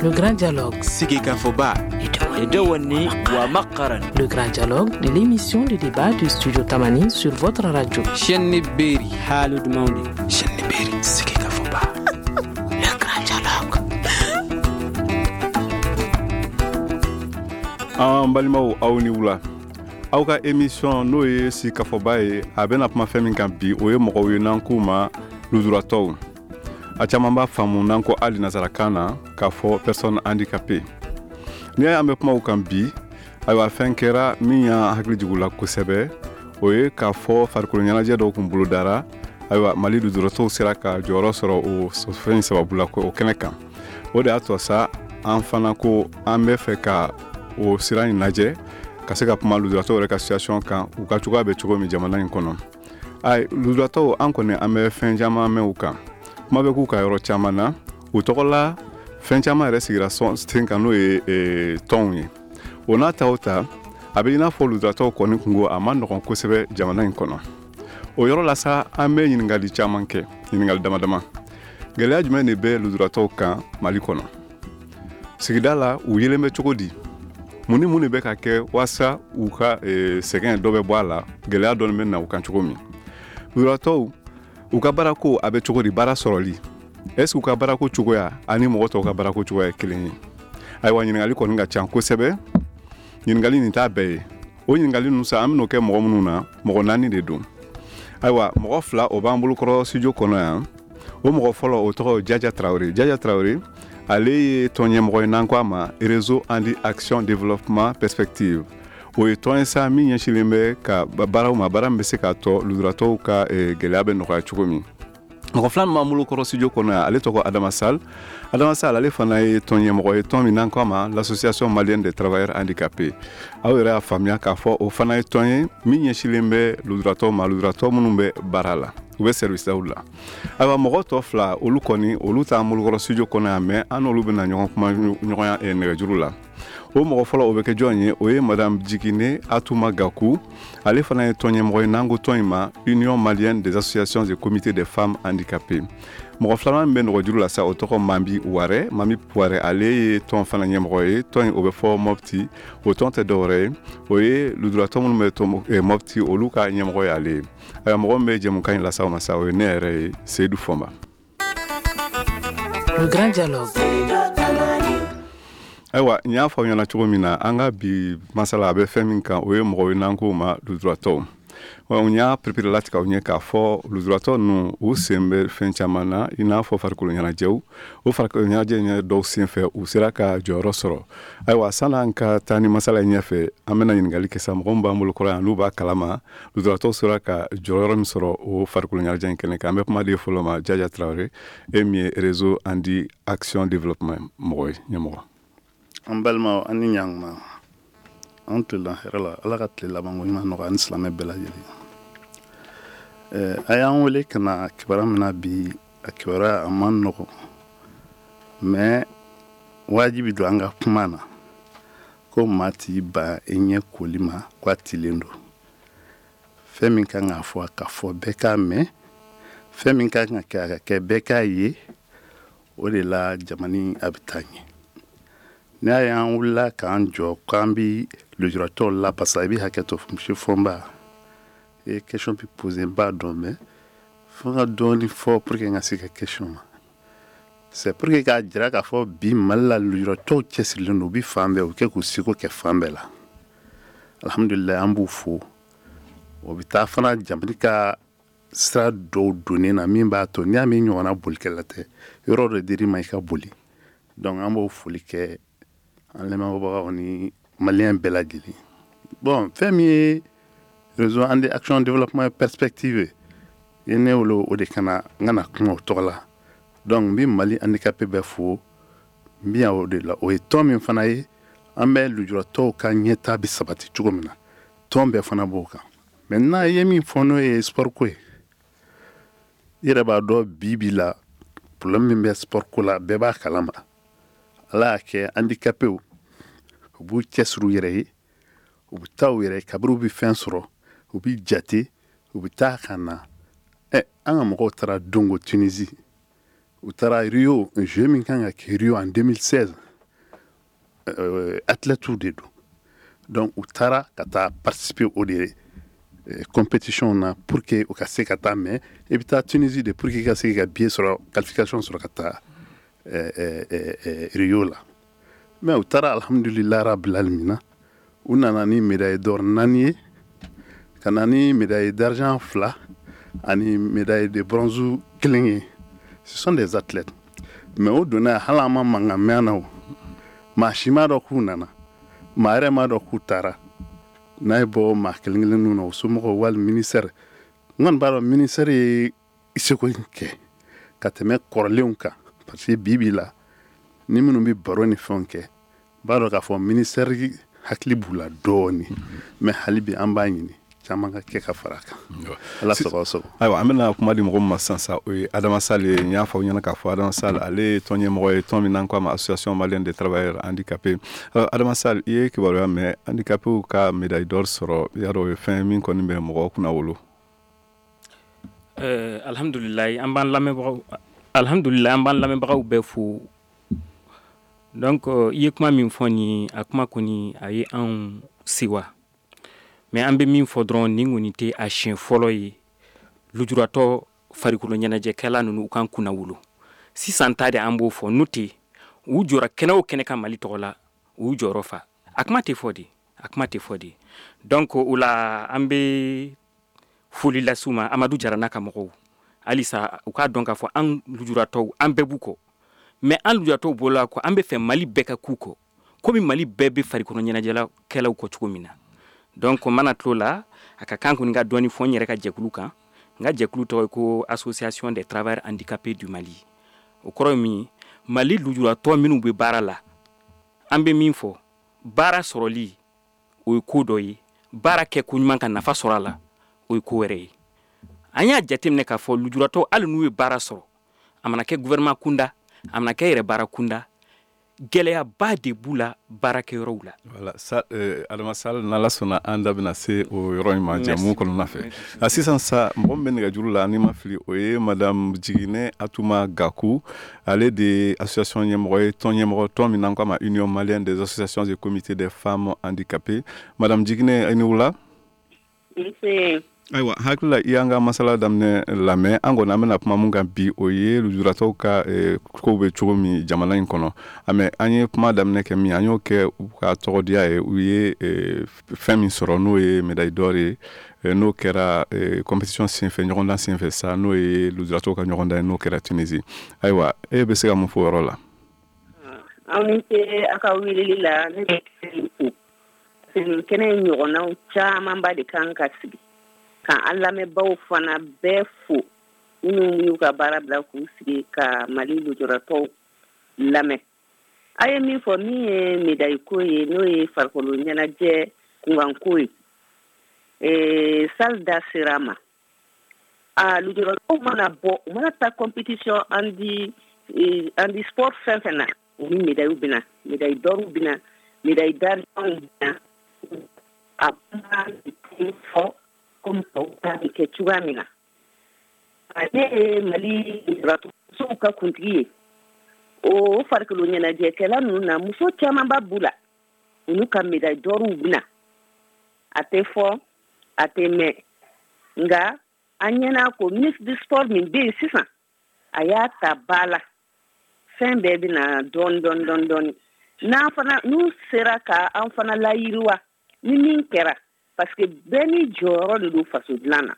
Le Grand Dialogue. Sigikafɔba. Le Grand Dialogue de l'émission de débat du Studio Tamani sur votre radio. Chaîne Berry. Haalude mawde. Chaîne Berry. Sigikafɔba. Le Grand Dialogue. An balimaw, aw ni wula. Aw ka émission, n'o ye sigikafɔba ye, a bɛna kuma fɛn min kan bi, o ye mɔgɔw ye n'an k'u ma lujuratɔw. A caman b'a faamu n'an ko hali nasarakan na k'a fɔ personne handicapée. N'i y'a ye an bɛ kuma o kan bi, ayiwa, fɛn kɛra min y'an hakili jigin u la kosɛbɛ. O ye k'a fɔ farikolo ɲɛnajɛ dɔw kun bolodara. Ayiwa, Mali lujuratɔw sera ka jɔyɔrɔ sɔrɔ o fɛn sababu la o kɛnɛ kan. O de y'a to sa an fana ko an bɛ fɛ ka o sira in lajɛ ka se ka kuma lujuratɔw yɛrɛ ka situation kan, u ka cogoya bɛ cogo min jamana in kɔnɔ. Ayi, lujuratɔw, an kɔni an bɛ fɛn caman mɛn u kan, kuma bɛ k'u ka yɔrɔ caman na, u tɔgɔ la fɛn caman yɛrɛ sigira sen kan, n'o ye tɔnw ye. O n'a ta o ta, a bɛ i n'a fɔ lujuratɔw kɔni kungo a ma nɔgɔn kosɛbɛ jamana in kɔnɔ. O yɔrɔ la sa, an bɛ ɲininkali caman kɛ, ɲininkali dama dama. Gɛlɛya jumɛn de bɛ lujuratɔw kan Mali kɔnɔ? Sigida la, u yelen bɛ cogo di? Mun ni mun de bɛ ka kɛ walasa u ka sɛgɛn dɔ bɛ bɔ a la, gɛlɛya dɔɔni bɛ na u kan cogo min? Lujuratɔw, u ka baarako a bɛ cogo di? Baara sɔrɔli, est ce que u ka baarako cogoya ani mɔgɔ tɔw ka baarako cogoya ye kelen ye? Ayiwa, ɲininkali kɔni ka ca kosɛbɛ. Ɲininkali nin t'a bɛɛ ye. O ɲininkali ninnu sa, an bɛn'o kɛ mɔgɔ minnu na, mɔgɔ naani de don. Ayiwa, mɔgɔ fila o b'an bolokɔrɔ studio kɔnɔ yan. O mɔgɔ fɔlɔ, o tɔgɔ Jaja Tarawele. Jaja Tarawele, ale ye tɔn ɲɛmɔgɔ ye n'an ko a ma Réseau Handi Action Développement Perspective. O ye tɔn ye sa min ɲɛsinlen bɛ ka baaraw ma, baara min bɛ se k'a tɔ lujuratɔw ka gɛlɛya bɛ nɔgɔya cogo min. Mɔgɔ filanan b'an bolo kɔrɔ studio kɔnɔ yan, ale tɔgɔ Adama Sall. Adama Sall, ale fana ye tɔn ɲɛmɔgɔ ye, tɔn min n'an ko a ma l'Association malienne des travailleurs handicapés. Aw yɛrɛ y'a faamuya k'a fɔ o fana ye tɔn ye min ɲɛsinlen bɛ lujuratɔw ma, lujuratɔ minnu bɛ baara la, u bɛ service la. Ayiwa, mɔgɔ tɔ fila, olu kɔni olu t'an bolokɔrɔ studio kɔnɔ yan, mais an n'olu bɛna ɲɔgɔn kuma ɲɔgɔnya nɛgɛjuru la. O mɔgɔ fɔlɔ, o bɛ kɛ jɔn ye? O ye Madame Jigine Atuma Gaku. Ale fana ye tɔn ɲɛmɔgɔ ye n'an ko tɔn in ma Union malienne des associations et comités des femmes handicapées. Mɔgɔ filanan min bɛ nɛgɛjuru la sa, o tɔgɔ Mambi Warɛ. Mambi Warɛ, ale ye tɔn fana ɲɛmɔgɔ ye, tɔn in o bɛ fɔ Mɔpti. O tɔn tɛ dɔwɛrɛ ye, o ye lujuratɔ minnu bɛ Mɔpti, olu ka ɲɛmɔgɔ ye ale ye. Ayiwa, mɔgɔ min bɛ jɛmukan in lase aw ma sa, o ye ne yɛrɛ ye, Seyidu Fɔnba. Le Grand Dialogue. Ayiwa, n y'a fɔ aw ɲɛna cogo min na, an ka bi masala a bɛ fɛn min kan, o ye mɔgɔw ye n'an k'o ma lujuratɔw. N y'a perepere latigɛ aw ɲɛ k'a fɔ lujuratɔ ninnu, u sen bɛ fɛn caman na, i n'a fɔ farikolo ɲɛnajɛw. O farikolo ɲɛnajɛ ɲɛ dɔw sen fɛ, u sera ka jɔyɔrɔ sɔrɔ. Ayiwa, san'an ka taa ni masala in ɲɛfɛ, an bɛna ɲininkali kɛ sa mɔgɔ min b'an bolo kɔrɔ yan, n'u b'a kalama lujuratɔw sera ka jɔyɔrɔ min sɔrɔ o farikolo ɲɛnajɛ in kɛnɛ kan. An bɛ kuma di fɔlɔ ma, Jaja Tarawele, e min ye Réseau Handi Action Développement mɔgɔ ye, ɲɛmɔgɔ. An balimaw, an ni ɲankuma. An tilela hɛrɛ la. Ala ka tile labanko ɲuman nɔgɔya ani silamɛ bɛɛ lajɛlen. A y'an wele ka na kibaruya min na bi, a kibaruya a man nɔgɔn, mais wajibi don an ka kuma na ko maa t'i ban i ɲɛ koli ma ko a tilen don. Fɛn min kan k'a fɔ, a ka fɔ, bɛɛ k'a mɛn. Fɛn min kan ka kɛ, a ka kɛ, bɛɛ k'a ye. O de la jamana a bɛ taa ɲɛ. N'a y'an wulila k'an jɔ k'an bi lujuratɔw la, parce que i bɛ hakɛ to, monsieur Fɔnba, i ye question bi poser, n b'a dɔn, mais fo n ka dɔɔni fɔ pour que n ka se ka question ma. C'est pour que k'a jira k'a fɔ bi Mali la, lujuratɔw cɛsirilen don, u bi fan bɛɛ, u kɛ k'u seko kɛ fan bɛɛ la. Alhamdulilayi, an b'u fo. O bɛ taa fana jamana ka sira dɔw donnen na min b'a to n'i y'a min ɲɔgɔnna bolikɛla tɛ, yɔrɔ dɔ dir'i ma i ka boli. Donc an b'o foli kɛ an lamɛnbagaw ni maliyɛn bɛɛ lajɛlen. Bon, fɛn min ye Réseau Handi Action Développement Perspective ye, ne wele o de kana n kana kuma o tɔgɔ la. Donc n bɛ Mali handicapé bɛɛ fo. N bɛ yan o de la. O ye tɔn min fana ye, an bɛ lujuratɔw ka ɲɛta bɛ sabati cogo min na, tɔn bɛɛ fana b'o kan. Maintenant, i ye min fɔ, n'o ye sport ko ye, i yɛrɛ b'a dɔn bi bi la problème min bɛ sport ko la, bɛɛ b'a kalama. Ala y'a kɛ handicapéw u b'u cɛsiri u yɛrɛ ye, u bɛ taa u yɛrɛ ye. Kabini u bɛ fɛn sɔrɔ, u bɛ jate, u bɛ taa ka na. Ɛ, an ka mɔgɔw taara Dongo, Tunisie, u taara Rio, jeu min kan ka kɛ Rio en 2016. athlètes de don. Donc u taara ka taa participer o de compétition na pour que u ka se ka taa. Mais i bɛ taa Tunisie de pour que i ka se ka billet sɔrɔ, qualification sɔrɔ ka taa Rio la. Mais u taara, alhamdulilah rabbil alamina, u nana ni médaille d'or 4 ye, ka na ni médaille d'argent 2 ani médaille de bronze 1 ye. Ce sont des athlètes. Mais o donna, hali an ma mankan mɛn an na, o maa si m'a dɔn k'u nana, maa yɛrɛ m'a dɔn k'u taara. N'a ye bɔ maa kelen kelenninw na, o somɔgɔw wali ministère. N kɔni b'a dɔn ministère ye seko kɛ ka tɛmɛ kɔrɔlenw kan, parce que bi bi la, ni minnu bɛ baro ni fɛnw kɛ, b'a dɔn k'a fɔ ministère hakili b'u la dɔɔni. Mais hali bi an b'a ɲini caman ka kɛ ka fara a kan. Ala sago sago. Ayiwa, an bɛna kuma di mɔgɔ min ma sisan sa, o ye Adama Sall ye. N y'a fɔ aw ɲɛna k'a fɔ Adama Sall, ale ye tɔn ɲɛmɔgɔ ye, tɔn min n'an ko a ma Association malienne des travailleurs handicapés. Adama Sall, i ye kibaruya mɛn, handicapés ka médaille d'or sɔrɔ, i y'a dɔn o ye fɛn min kɔni bɛ mɔgɔ kunna wolo. Alhamdulilayi, an b'an lamɛnbagaw, alhamdulilayi, an b'an lamɛnbagaw bɛɛ fo. Donc i ye kuma min fɔ nin, a kuma kɔni a ye anw sewa. Mais an bɛ min fɔ dɔrɔn, nin kɔni tɛ a siɲɛ fɔlɔ ye lujuratɔ farikolo ɲɛnajɛkɛla ninnu u kan kunna wolo. Sisan ta de an b'o fɔ, n'o tɛ u jɔra kɛnɛ o kɛnɛ kan Mali tɔgɔ la, u jɔyɔrɔ fa. A kuma tɛ fɔ de, a kuma tɛ fɔ de. Donc o la an bɛ foli lase u ma, Amadu Jara n'a ka mɔgɔw. Halisa u k'a dɔn k'a fɔ an lujuratɔw, an bɛɛ b'u kɔ. Mais an lujuratɔw bɔla kɔ, an bɛ fɛ Mali bɛɛ ka k'u kɔ, komi Mali bɛɛ bɛ farikolo ɲɛnajɛkɛlaw kɔ cogo min na. Donc mana t'o la, a ka kan kɔni ka dɔɔni fɔ n yɛrɛ ka jɛkulu kan. N ka jɛkulu tɔgɔ ye ko Association des travailleurs handicapés du Mali. O kɔrɔ ye min ye, Mali lujuratɔ minnu bɛ baara la, an bɛ min fɔ, baara sɔrɔli o ye ko dɔ ye, baara kɛ ko ɲuman ka nafa sɔrɔ a la, o ye ko wɛrɛ ye. An y'a jateminɛ k'a fɔ lujuratɔ, hali n'u ye baara sɔrɔ, a mana kɛ gouvernement kunda, a mana kɛ yɛrɛ baara kunda, gɛlɛyaba de b'u la baarakɛyɔrɔw la. Voilà, sa, Adama Sall, n'Ala sɔnna an da bɛna se o yɔrɔ in ma jɛmu kɔnɔna fɛ. A sisan sa, mɔgɔ min bɛ nɛgɛjuru la, n'i ma fili, o ye Madame Jiginɛ Atuma Gaku. Ale de ye association ɲɛmɔgɔ ye, tɔn ɲɛmɔgɔ, tɔn min n'an ko a ma Union malienne des associations et comités des femmes handicapées. Madame Jiginɛ, i ni wula. Nse. Ayiwa, hakili la i y'an ka masala daminɛ lamɛn. An kɔni an bɛna kuma mun kan bi, o ye lujuratɔw ka kow bɛ cogo min jamana in kɔnɔ. Mais an ye kuma daminɛ kɛ min, an y'o kɛ u ka tɔgɔdiya ye, u ye fɛn min sɔrɔ, n'o ye médaille d'or ye, n'o kɛra compétition senfɛ, ɲɔgɔndan senfɛ sa, n'o ye lujuratɔw ka ɲɔgɔndan ye, n'o kɛra Tunisie. Ayiwa, e bɛ se ka mun fɔ o yɔrɔ la? Aw ni ce aw ka weleli la. Ne bɛ fo nin kɛnɛ in ɲɔgɔnnaw camanba de kan ka sigi, ka an lamɛnbaaw fana bɛɛ fo, minnu y'u ka baara bila k'u sigi ka Mali lujuratɔw lamɛn. A ye min fɔ, min ye médaille ko ye, n'o ye farikolo ɲɛnajɛ kunkanko ye, Sall da sera a ma. A lujuratɔw mana bɔ, u mana taa compétition handi sport fɛn fɛn na, u ni médaille bɛ na, médaille d'or bɛ na, médaille d'argent bɛ na. A kuma fɔ komi tɔw ta bɛ kɛ cogoya min na. Ale ye Mali lujuratɔmusow ka kuntigi ye. O farikolo ɲɛnajɛkɛla ninnu na, muso camanba b'u la, u n'u ka médaille d'or bɛ na. A tɛ fɔ, a tɛ mɛn, nka an ɲɛna ko ministre du sport min bɛ yen sisan, a y'a ta ba la. Fɛn bɛɛ bɛ na dɔɔni dɔɔni dɔɔni dɔɔni. N'an fana n'u sera ka an fana layiriwa ni min kɛra, parce que bɛɛ n'i jɔyɔrɔ de don faso dilan na.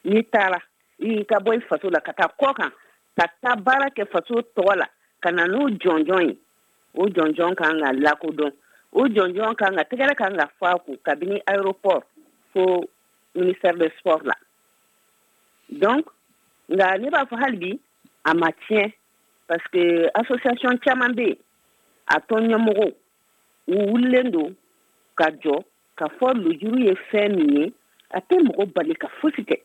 N'i taara i ka bɔ i faso la ka taa kɔ kan, ka taa baara kɛ faso tɔgɔ la, ka na n'o jɔnjɔn ye, o jɔnjɔn kan ka lakodɔn, o jɔnjɔn kan ka tɛgɛrɛ kan ka fɔ a kun kabini aéroport fo ministère de sport la. Donc nka ne b'a fɔ hali bi a ma tiɲɛ, parce que association caman bɛ yen, a tɔn ɲɛmɔgɔw u wulilen don ka jɔ ka fɔ lujuru ye fɛn min ye, a tɛ mɔgɔ bali ka fosi kɛ,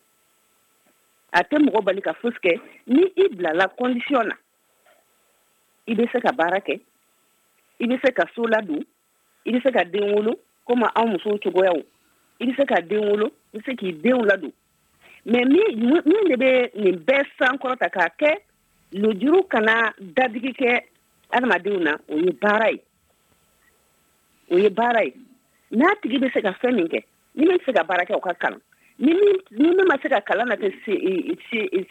a tɛ mɔgɔ bali ka fosi kɛ. Ni i bilala condition na, i bɛ se ka baara kɛ, i bɛ se ka so ladon, i bɛ se ka den wolo komi anw musow cogoyaw, i bɛ se ka den wolo, i bɛ se k'i denw ladon. Mais min de bɛ nin bɛɛ sankɔrɔta k'a kɛ lujuru kana dadigi kɛ adamadenw na, o ye baara ye. O ye baara ye. N'a tigi bɛ se ka fɛn min kɛ, ni min bɛ se ka baara kɛ, o ka kalan. Ni min ma se ka kalan na tɛ se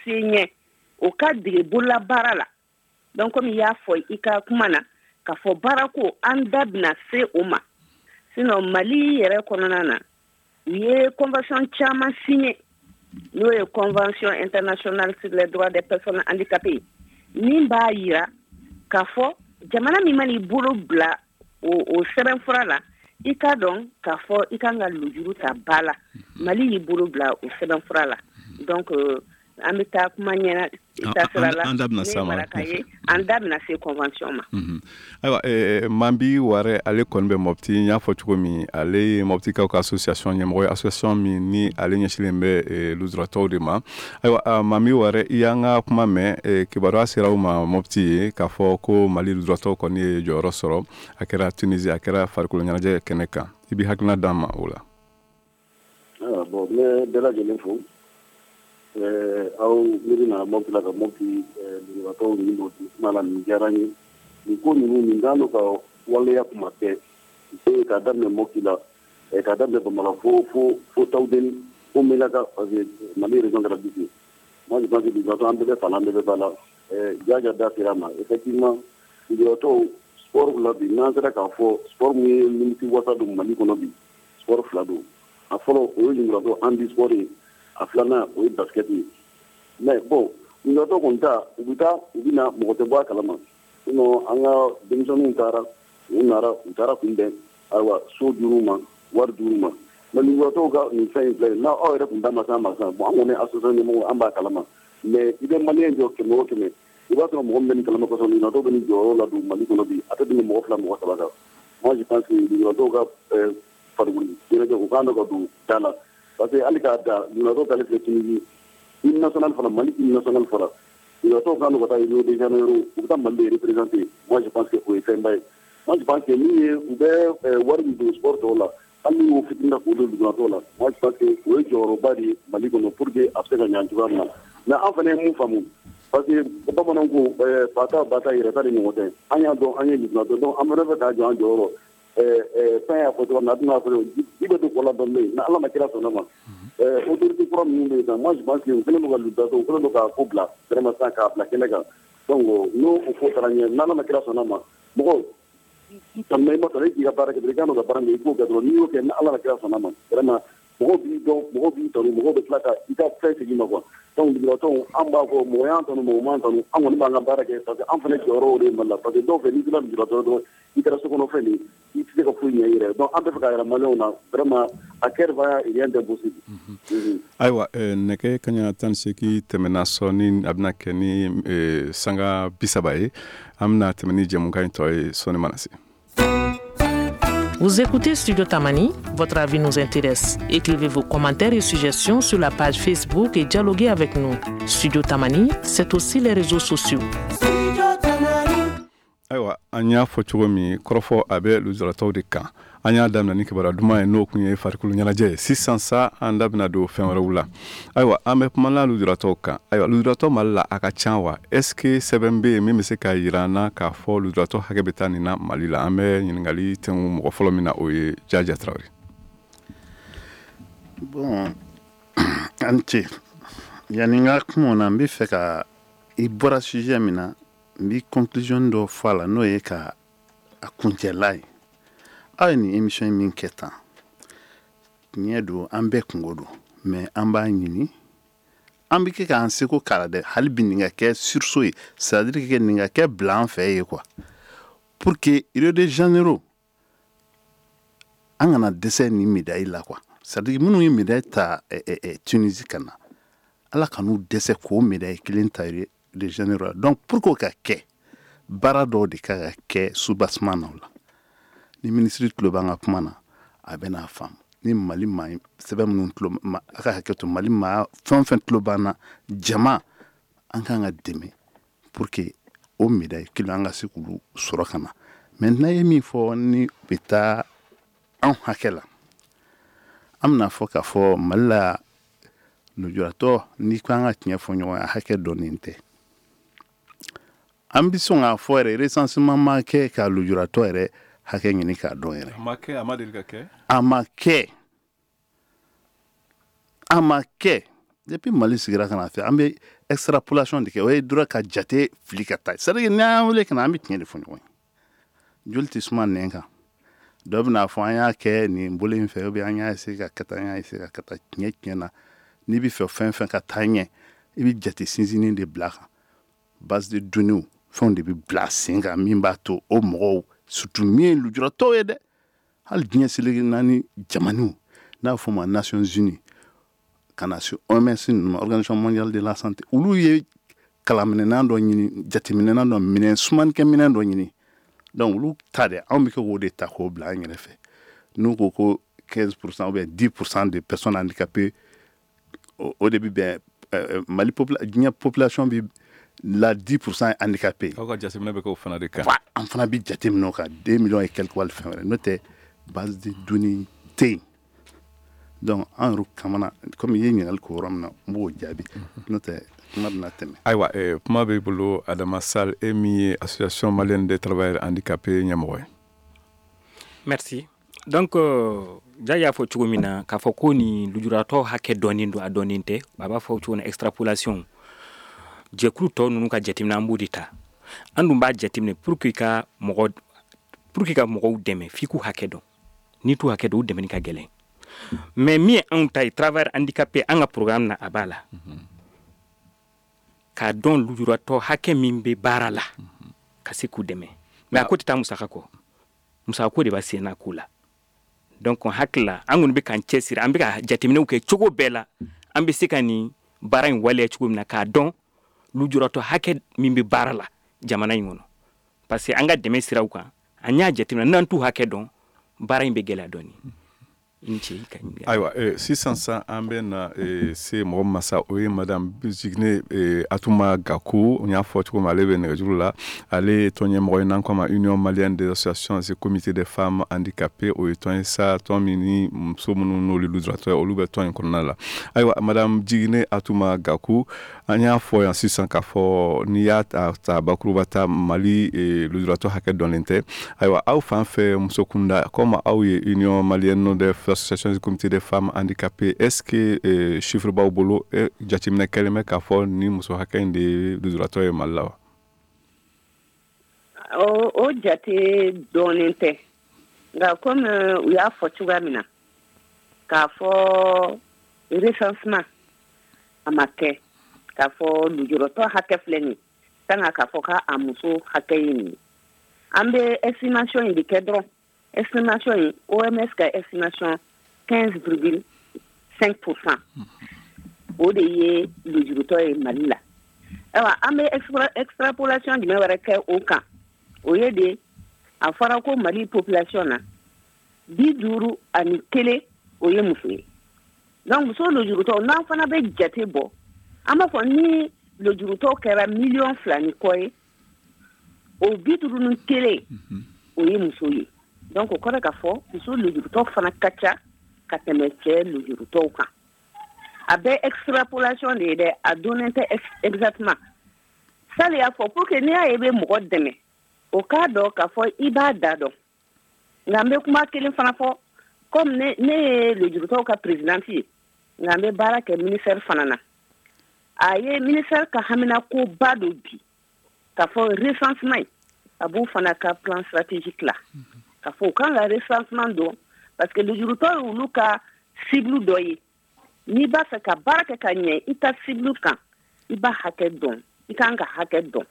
ɲɛ, o ka dege bolola baara la. Donc comme i y'a fɔ i ka kuma na, k'a fɔ baara ko an da bɛna se o ma. Sinon Mali yɛrɛ kɔnɔna na, u ye convention caman signé, n'o ye convention internationale sur les droits des personnes handicapées, min b'a yira k'a fɔ jamana min man'i bolo bila o sɛbɛnfura la, i k'a dɔn k'a fɔ i kan ka lujuru ta ba la. Mali y'i bolo bila o sɛbɛnfura la. Donc an bɛ taa kuma ɲɛna taasira la, an da bɛna s'a ma, an da bɛna se convention ma. Ayiwa, Mambi Ware, ale kɔni bɛ Mopti. N y'a fɔ cogo min, ale ye Moptikaw ka association ɲɛmɔgɔ ye, association min ni ale ɲɛsinnen bɛ lujuratɔw de ma. Ayiwa, Mambi Ware, i y'an ka kuma mɛn. Kibaruya sera aw ma Mopti ye k'a fɔ ko Mali lujuratɔw kɔni ye jɔyɔrɔ sɔrɔ, a kɛra Tunisie, a kɛra farikolo ɲɛnajɛ kɛnɛ kan. I b'i hakilina d'an ma o la? Bon, n bɛ bɛɛ lajɛlen fo. Aw miiri na Mopti la ka Mopti lujuratɔw nin don kuma la, nin diyara n ye. Nin ko ninnu, nin kan ka waleya kuma bɛɛ, k'a daminɛ Mopti la, k'a daminɛ Bamakɔ fo Tawudeni, fo Melaka, parce que Mali région kɛra 10 ye. Moi je pense que lujuratɔ an bɛɛ bɛ fa la, an bɛɛ bɛ ba la. Jaja da sera a ma, effectivement lujuratɔw sport la bi, n'an sera k'a fɔ sport min ye nimisi wasa don Mali kɔnɔ bi, sport fila don. A fɔlɔ, o ye lujuratɔ handi sport ye. A filanan, o ye basket ye. Mais bon, lujuratɔ kɔni ta, u bɛ taa, u bɛ na, mɔgɔ tɛ bɔ a kalama. Sinon an ka denmisɛnninw taara, u nara, u taara kunbɛn, ayiwa, so dir'u ma, wari dir'u ma. Mais lujuratɔw ka nin fɛn in filɛ, n'a aw yɛrɛ kun da ma s'a ma sisan, bon, an kɔni association ɲɛmɔgɔ, an b'a kalama. Mais i bɛ maliyɛn jɔ 100 o 100, i b'a sɔrɔ mɔgɔ min bɛ nin kalama kosɛbɛ, lujuratɔw bɛ nin jɔyɔrɔ la don Mali kɔnɔ bi, a tɛ tɛmɛ mɔgɔ fila, mɔgɔ saba kan. Moi je pense que lujuratɔw ka farikolo ɲɛnajɛ, u kan ka don da la. Parce que hali k'a da lujuratɔw talen filɛ Tunisie, hymne national fana, Mali hymne national fɔra, lujuratɔw kan ka taa Rio de Janeiro, u bɛ taa Mali de représenter. Moi je pense que o ye fɛnba ye. Moi je pense que min ye u bɛ wari min don sport tɔw la, hali n'u y'o fitinin ta k'o don lujuratɔw la, moi je pense que o ye jɔyɔrɔba de ye Mali kɔnɔ pour que a bɛ se ka ɲɛ cogoya min na. Mais an fana ye mun faamu, parce que bamananw ko fa ta ba ta yɛrɛ ta de ɲɔgɔn tɛ. An y'a dɔn an ye lujuratɔ, donc an fana fɛ k'a jɔ an jɔyɔrɔ. Fɛn y'a fɔ cogoya min na, a tɛna fɔ ji bɛ don kɔ la dɔɔnin, ni Ala ma kira sɔnna ma. Autorité kura minnu bɛ yen sisan, moi je pense que u kɛlen don ka lujuratɔ, u kɛlen don k'a ko bila vraiment sisan, k'a bila kɛnɛ kan. Donc n'o o ko taara ɲɛ, n'Ala ma kira sɔnna ma, mɔgɔ i tanuna i ma tanu, e k'i ka baara kɛ dɔrɔn, i kan ka baara min kɛ, i k'o kɛ dɔrɔn. N'i y'o kɛ, ni Ala ma kira sɔnna ma, vraiment mɔgɔw b'i dɔn, mɔgɔw b'i tanu, mɔgɔw bɛ tila ka i ka fɛn segin ma quoi. Donc lujuratɔw, an b'a fɔ mɔgɔ y'an tanu, mɔgɔ m'an tanu, an kɔni b'an ka baara kɛ, parce que an fana jɔyɔrɔ o de ye Mali la. Parce que dɔw fɛ, n'i kɛra lujuratɔ dɔrɔn, i kɛra sokɔnɔfɛn de ye, i tɛ se ka foyi ɲɛ i yɛrɛ. Donc an bɛ fɛ k'a yira maliyɛnw na, vraiment à cœur vaillant, rien d'impossible. Ayiwa, nɛgɛ kaɲa 18 tɛmɛna sɔɔni, a bɛna kɛ ni sanga 30 ye. An bɛna tɛmɛ ni jɛmukan in tɔ ye sɔɔni mana se. Vous écoutez Studio Tamani, votre avis nous intéresse. Écrivez vos commentaires et suggestions sur la page Facebook et dialoguez avec nous. Studio Tamani, c'est aussi les réseaux sociaux. Ayiwa, an y'a fɔ cogo min, kɔrɔfɔ a bɛ lujuratɔw de kan. An y'a daminɛ ni kibaruya duman ye, n'o kun ye farikolo ɲɛnajɛ ye. Sisan sa, an da bɛna don fɛn wɛrɛw la. Ayiwa, an bɛ kumana lujuratɔw kan. Ayiwa, lujuratɔ Mali la, a ka ca wa? Est ce que sɛbɛn bɛ yen min bɛ se k'a yira an na k'a fɔ lujuratɔ hakɛ bɛ taa nin na Mali la? An bɛ ɲininkali tɛnku mɔgɔ fɔlɔ min na, o ye Jaja Tarawele. Bon, an ce. Yanni n ka kuma o na, n bɛ fɛ ka i bɔra sujet min na, n bɛ conclusion dɔ fɔ a la, n'o ye ka a kuncɛla ye. Aw ye nin émission min kɛ tan, tiɲɛ don, an bɛɛ kungo don, mais an b'a ɲini, an bɛ kɛ k'an seko k'a la dɛ. Hali bi nin ka kɛ sursaut ye, c'est à dire que nin ka kɛ bila an fɛ ye quoi, pour que Rio de Janeiro an kana dɛsɛ nin médaille la quoi. C'est à dire minnu ye médaille ta Tunisie ka na, Ala ka n'u dɛsɛ k'o médaille kelen ta Rio de Janeiro la. Donc pour k'o ka kɛ, baara dɔw de ka ka kɛ soubassement na o la. Ni minisiri tulo b'an ka kuma na, a bɛ n'a faamu. Ni Mali maa sɛbɛn minnu tulo ma, a ka hakɛ to, Mali maa fɛn o fɛn tulo b'an na, jama an kan ka dɛmɛ pour que o médaille kelen an ka se k'olu sɔrɔ ka na. Maintenant, ye min fɔ ni bɛ taa anw hakɛ la, an bɛna fɔ k'a fɔ Mali la lujuratɔ, n'i ko an ka tiɲɛ fɔ ɲɔgɔn ye, a hakɛ dɔnnen tɛ. An bɛ sɔn k'a fɔ yɛrɛ, recensement ma kɛ ka lujuratɔ yɛrɛ hakɛ ɲini k'a dɔn yɛrɛ. A ma kɛ, a ma deli ka kɛ. A ma kɛ, a ma kɛ. Depuis Mali sigira ka na fɛ, an bɛ extrapolation de kɛ. O ye dɔrɔn ka jate fili ka taa. C'est à dire, n'an wele ka na, an bɛ tiɲɛ de fɔ ɲɔgɔn ye. Joli tɛ suma nɛn kan. Dɔ bɛna fɔ an y'a kɛ nin bolo in fɛ, ou bien an y'a essayer ka kɛ tan, an y'a essayer ka kɛ tan. Tiɲɛ tiɲɛ na, n'i bɛ fɛ fɛn fɛn ka taa ɲɛ, i bɛ jate sinsinni de bila a kan. Base de données, fɛnw de bɛ bila sen kan min b'a to o mɔgɔw, surtout min ye lujuratɔw ye dɛ. Hali diɲɛ seleke naani jamanaw, n'a fɔ ma Nations Unies, ka na se OMS ninnu ma, Organisation mondiale de la santé, olu ye kalanminɛnan dɔ ɲini, jateminɛnan dɔ, minɛn sumanikɛminɛn dɔ ɲini. Donc olu ta de, anw bɛ kɛ k'o de ta k'o bila an yɛrɛ fɛ. N'u ko ko 15% ou bien 10% de personnes handicapées, o de bɛ bɛn Mali diɲɛ population bɛ la 10% handicapé. Aw ka jateminɛ bɛ k'o fana de kan. An fana bɛ jateminɛ o kan, 2 millions et quelques wali fɛn wɛrɛ. N'o tɛ, base de données tɛ yen. Donc an yɛrɛ kamana, komi i ye ɲininkali k'o yɔrɔ min na, n b'o jaabi. N'o tɛ, kuma bɛna tɛmɛ. Ayiwa, kuma b'i bolo, Adama Sall, e min ye Association malienne des travailleurs handicapés ɲɛmɔgɔ ye. Merci. Donc ja y'a fɔ cogo min na, k'a fɔ ko nin lujuratɔ hakɛ dɔɔnin don, a dɔɔnin tɛ. A b'a fɔ cogo min na, extrapolation, jɛkulu tɔ ninnu ka jateminɛ, an b'o de ta. An dun b'a jateminɛ pour que ka mɔgɔw dɛmɛ, f'i k'u hakɛ dɔn. N'i t'u hakɛ dɔn, u dɛmɛni ka gɛlɛn. Mais min ye anw ta ye, travailleur handicapé, an ka programme na, a b'a la k'a dɔn lujuratɔ hakɛ min bɛ baara la, ka se k'u dɛmɛ. Mais a ko tɛ taa musaka kɔ, musaka ko de b'a sen na ko la. Donc hakili la, an kɔni bɛ k'an cɛsiri, an bɛ ka jateminɛw kɛ cogo bɛɛ la, an bɛ se ka nin baara in waleya cogo min na, k'a dɔn lujuratɔ hakɛ min bɛ baara la jamana in kɔnɔ. Parce que an ka dɛmɛ siraw kan, an y'a jateminɛ, n'an t'u hakɛ dɔn, baara in bɛ gɛlɛya dɔɔnin. I ni ce i ka ɲininkali. Ayiwa, sisan sa, an bɛ na se mɔgɔ min ma sa, o ye madame Jiginɛ Atuma Gaku. N y'a fɔ cogo min, ale bɛ nɛgɛjuru la. Ale ye tɔn ɲɛmɔgɔ ye n'an k'a ma Union malienne des associations et comités des femmes handicapées. O ye tɔn ye sa, tɔn min ni muso minnu n'olu lujuratɔ ye, olu bɛ tɔn in kɔnɔna la. Ayiwa, madame Jiginɛ Atuma Gaku, an y'a fɔ yan sisan k'a fɔ n'i y'a ta bakuruba ta, Mali lujuratɔ hakɛ dɔnnen tɛ. Ayiwa, aw fan fɛ, muso kunda, comme aw ye Union malienne des associations et comités des femmes handicapées, est-ce que chiffre b'aw bolo, jateminɛ kɛlen bɛ k'a fɔ ni muso hakɛ in de ye lujuratɔ ye Mali la wa? O jate dɔɔnin tɛ, nka komi u y'a fɔ cogoya min na, k'a fɔ recensement a ma kɛ, k'a fɔ lujuratɔ hakɛ filɛ nin ye, sanga k'a fɔ k'a muso hakɛ ye nin ye. An bɛ estimation in de kɛ dɔrɔn. Estimation in, OMS ka estimation, 15,5%, o de ye lujurutɔ ye Mali la. Ayiwa, an bɛ extrapolation jumɛn wɛrɛ kɛ o kan? O ye de, a fɔra ko Mali population na, 51, o ye muso ye. Donc muso lujurutɔ, n'an fana bɛ jate bɔ, an b'a fɔ ni lujurutɔ kɛra miliyɔn 2 ni kɔ ye, o 51, o ye muso ye. Donc o kɔrɔ k'a fɔ muso lujurutɔ fana ka ca ka tɛmɛ cɛ lujurutɔw kan. A bɛ extrapolation de ye dɛ, a donnen tɛ exactement. Sali y'a fɔ, pour que n'i y'a ye i bɛ mɔgɔ dɛmɛ, o k'a dɔn k'a fɔ i b'a da dɔn. Nka n bɛ kuma kelen fana fɔ, comme ne ye lujurutɔw ka présidente ye, nka n bɛ baara kɛ ministère fana na. A ye ministère ka haminakoba dɔ bi, k'a fɔ recensement in, a b'u fana ka plan stratégique la, k'a fɔ u kan ka recensement dɔn, parce que lujurutɔ ye olu ka cible dɔ ye. N'i b'a fɛ ka baara kɛ ka ɲɛ i ka cible kan, i b'a hakɛ dɔn, i kan ka hakɛ dɔn.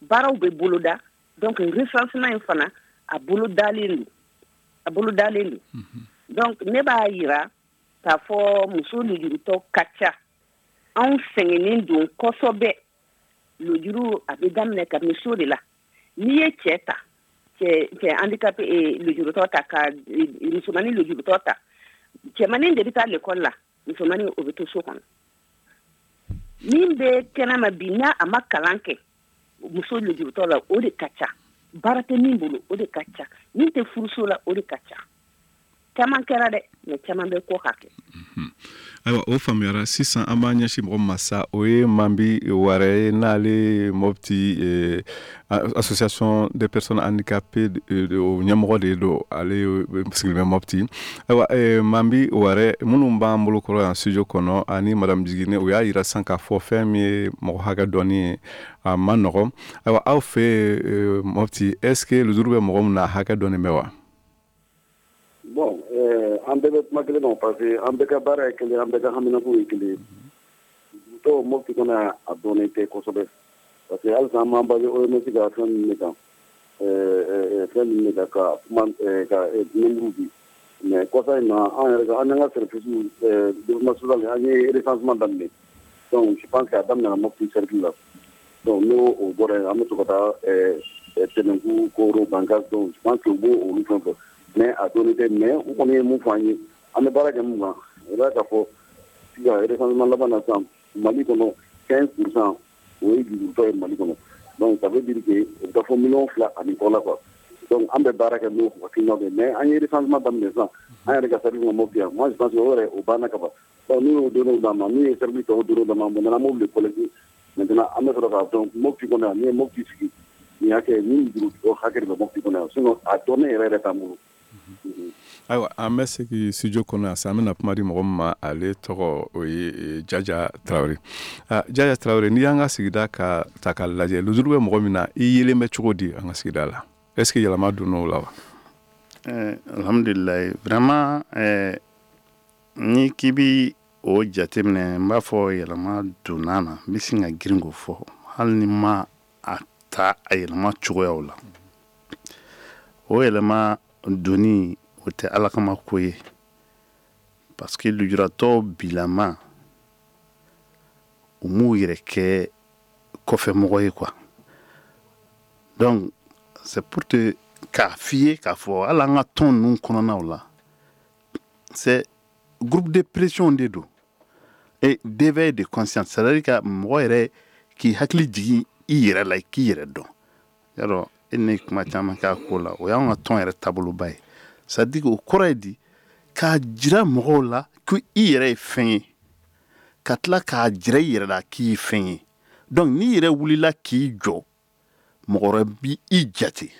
Baaraw bɛ boloda. Donc recensement in fana, a bolodalen don, a bolodalen don. Donc ne b'a yira k'a fɔ muso lujurutɔ ka ca. Anw sɛgɛnnen don kosɛbɛ. Lujuru, a bɛ daminɛ kabini so de la. N'i ye cɛ ta, cɛ handicapé, lujurutɔ ta, ka musomanin lujurutɔ ta, cɛmanin de bɛ taa l'école la, musomanin, o bɛ to so kɔnɔ. Min bɛ kɛnɛma bi, n'a a ma kalan kɛ, muso lujurutɔ la, o de ka ca. Baara tɛ min bolo, o de ka ca. Min tɛ furuso la, o de ka ca. Caman kɛra dɛ, mais caman bɛ kɔ ka kɛ. Ayiwa, o faamuyara. Sisan an b'an ɲɛsin mɔgɔ ma sa, o ye Mambi Ware ye, n'ale Mopti association des personnes handicapées o ɲɛmɔgɔ de don. Ale sigilen bɛ Mopti. Ayiwa, Mambi Ware, minnu b'an bolo kɔrɔ yan studio kɔnɔ ani madame Jigine, o y'a yira sisan k'a fɔ fɛn min ye mɔgɔ hakɛ dɔnni ye, a ma nɔgɔn. Ayiwa, aw fɛ Mopti, est ce que lujuru bɛ mɔgɔ min na, a hakɛ dɔnnen bɛ wa? Bon, an bɛɛ bɛ kuma kelen ma, parce que an bɛɛ ka baara ye kelen, an bɛɛ ka haminako ye kelen ye. Dɔw Mopti kɔnɔ, a dɔnnen tɛ kosɛbɛ, parce que halisa an b'an basé OMS ka fɛn ninnu de kan, fɛn ninnu de kan ka kuma ka nombre di. Mais kɔsa in na, an yɛrɛ ka an n'an ka service développement social, an ye recensement daminɛ. Donc je pense que a daminɛna Mopti cercle la. Donc n'o o bɔra yen, an bɛ to ka taa Tɛnɛnku, Koro, Bankas. Donc je pense que u b'o olu fɛn fɔ, mais a dɔnnen tɛ. Mais u kɔni ye mun fɔ an ye, an bɛ baara kɛ mun kan, i b'a ka fɔ sisan, recensement laban na sisan, Mali kɔnɔ, 15 % o ye jurutɔ ye Mali kɔnɔ. Donc ça veut dire que o bɛ taa fɔ miliyɔn 2 ani kɔ la quoi. Donc an bɛ baara kɛ n'o hakilinaw de ye. Mais an ye recensement daminɛ sisan, an yɛrɛ ka service ma Mopti yan. Moi je pense que o yɛrɛ o banna ka ban. Donc n'u y'o données d'an ma, n'u ye service tɔw données d'an ma, maintenant an b'olu de collecter. Maintenant an bɛ sɔrɔ k'a dɔn Mopti kɔnɔ yan, n'i ye Mopti sigi nin hakɛ, ni juru hakɛ de bɛ Mopti kɔnɔ yan. Sinon a dɔnnen yɛrɛ yɛrɛ t'an bolo. Ayiwa, an bɛ segin studio kɔnɔ yan sisan. An bɛna kuma di mɔgɔ min ma, ale tɔgɔ o ye Jaja Tarawele. Jaja Tarawele, n'i y'an ka sigida ka ta k'a lajɛ, lujuru bɛ mɔgɔ min na, i yelen bɛ cogo di an ka sigida la? Est ce que yɛlɛma donna o la wa? Alhamdulilayi, vraiment, ni k'i bi o jateminɛ, n b'a fɔ yɛlɛma donna na. N bɛ sin ka girin k'o fɔ, hali ni ma a ta a yɛlɛma cogoyaw la. O yɛlɛma donni, o tɛ Ala kama ko ye, parce que lujuratɔw bilama, u m'u yɛrɛ kɛ kɔfɛmɔgɔ ye quoi. Donc c'est pour te k'a f'i ye k'a fɔ hali an ka tɔn ninnu kɔnɔnaw la, c'est groupe de pression de don et d'éveil de conscience, c'est à dire ka mɔgɔ yɛrɛ k'i hakili jigin i yɛrɛ la, k'i yɛrɛ dɔn. Yarɔ, e ne kuma caman k'a ko la, o y'anw ka tɔn yɛrɛ taaboloba ye. C'est à dire, o kɔrɔ ye di? K'a jira mɔgɔw la ko i yɛrɛ ye fɛn ye, ka tila k'a jira i yɛrɛ la k'i ye fɛn ye. Donc n'i yɛrɛ wulila k'i jɔ, mɔgɔ wɛrɛ b'i i jate.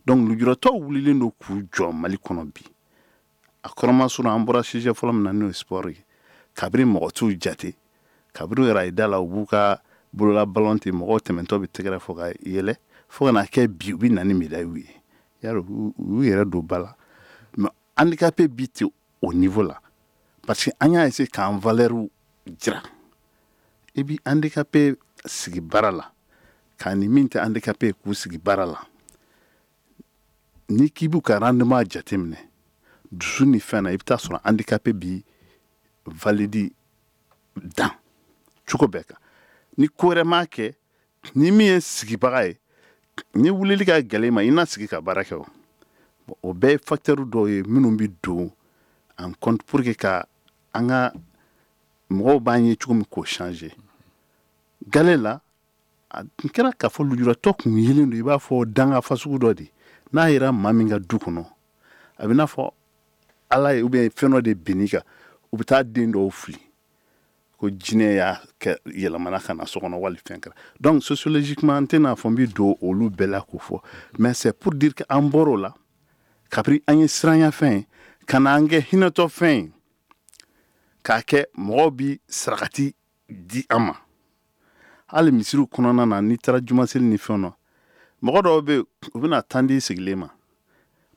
Donc lujuratɔw wulilen don k'u jɔ Mali kɔnɔ bi. A kɔrɔmasuru, an bɔra sujet fɔlɔ min na, n'o ye sport ye, kabini mɔgɔ t'u jate, kabini u yɛrɛ a ye da la, u b'u ka bolola ballon ten, mɔgɔw tɛmɛntɔ bɛ tɛgɛrɛ fɔ ka yɛlɛ, fo ka na kɛ bi u bɛ na ni médaille ye. Yarɔ, u y'u yɛrɛ don ba la. Mais handicapé bi tɛ o niveau la, parce que an y'a essayer k'an valeur jira. I bi handicapé sigi baara la k'a ni min tɛ handicapé k'u sigi baara la, ni k'i b'u ka rendement jateminɛ dusu ni fɛn na, i bɛ taa sɔrɔ handicapé bi valide dan cogo bɛɛ kan. Ni ko wɛrɛ m'a kɛ, ni min ye sigibaga ye, ni wulili ka gɛlɛn i ma, i na sigi ka baara kɛ. O o bɛɛ ye facteur dɔw ye minnu bɛ don en compte pour que ka an ka mɔgɔw b'an ye cogo min k'o changer. Gale la, a tun kɛra k'a fɔ lujuratɔ kun yelen don i b'a fɔ danga fasugu dɔ de. N'a yera maa min ka du kɔnɔ, a bɛ n'a fɔ Ala ye ou bien fɛn dɔ de binn'i kan. U bɛ taa den dɔw fili ko jinɛ y'a kɛ yɛlɛmana ka na so kɔnɔ, wali fɛn kɛra. Donc sociologiquement, n tɛna fɔ n bɛ don olu bɛɛ la k'o fɔ, mais c'est pour dire que an bɔr'o la kabini an ye siranya fɛn ye ka na an kɛ hinɛtɔ fɛn ye, k'a kɛ mɔgɔw bi sarakati di an ma. Hali misiriw kɔnɔna na, n'i taara jumaseli ni fɛnw na, mɔgɔ dɔw bɛ yen, u bɛna tan di sigilen ma,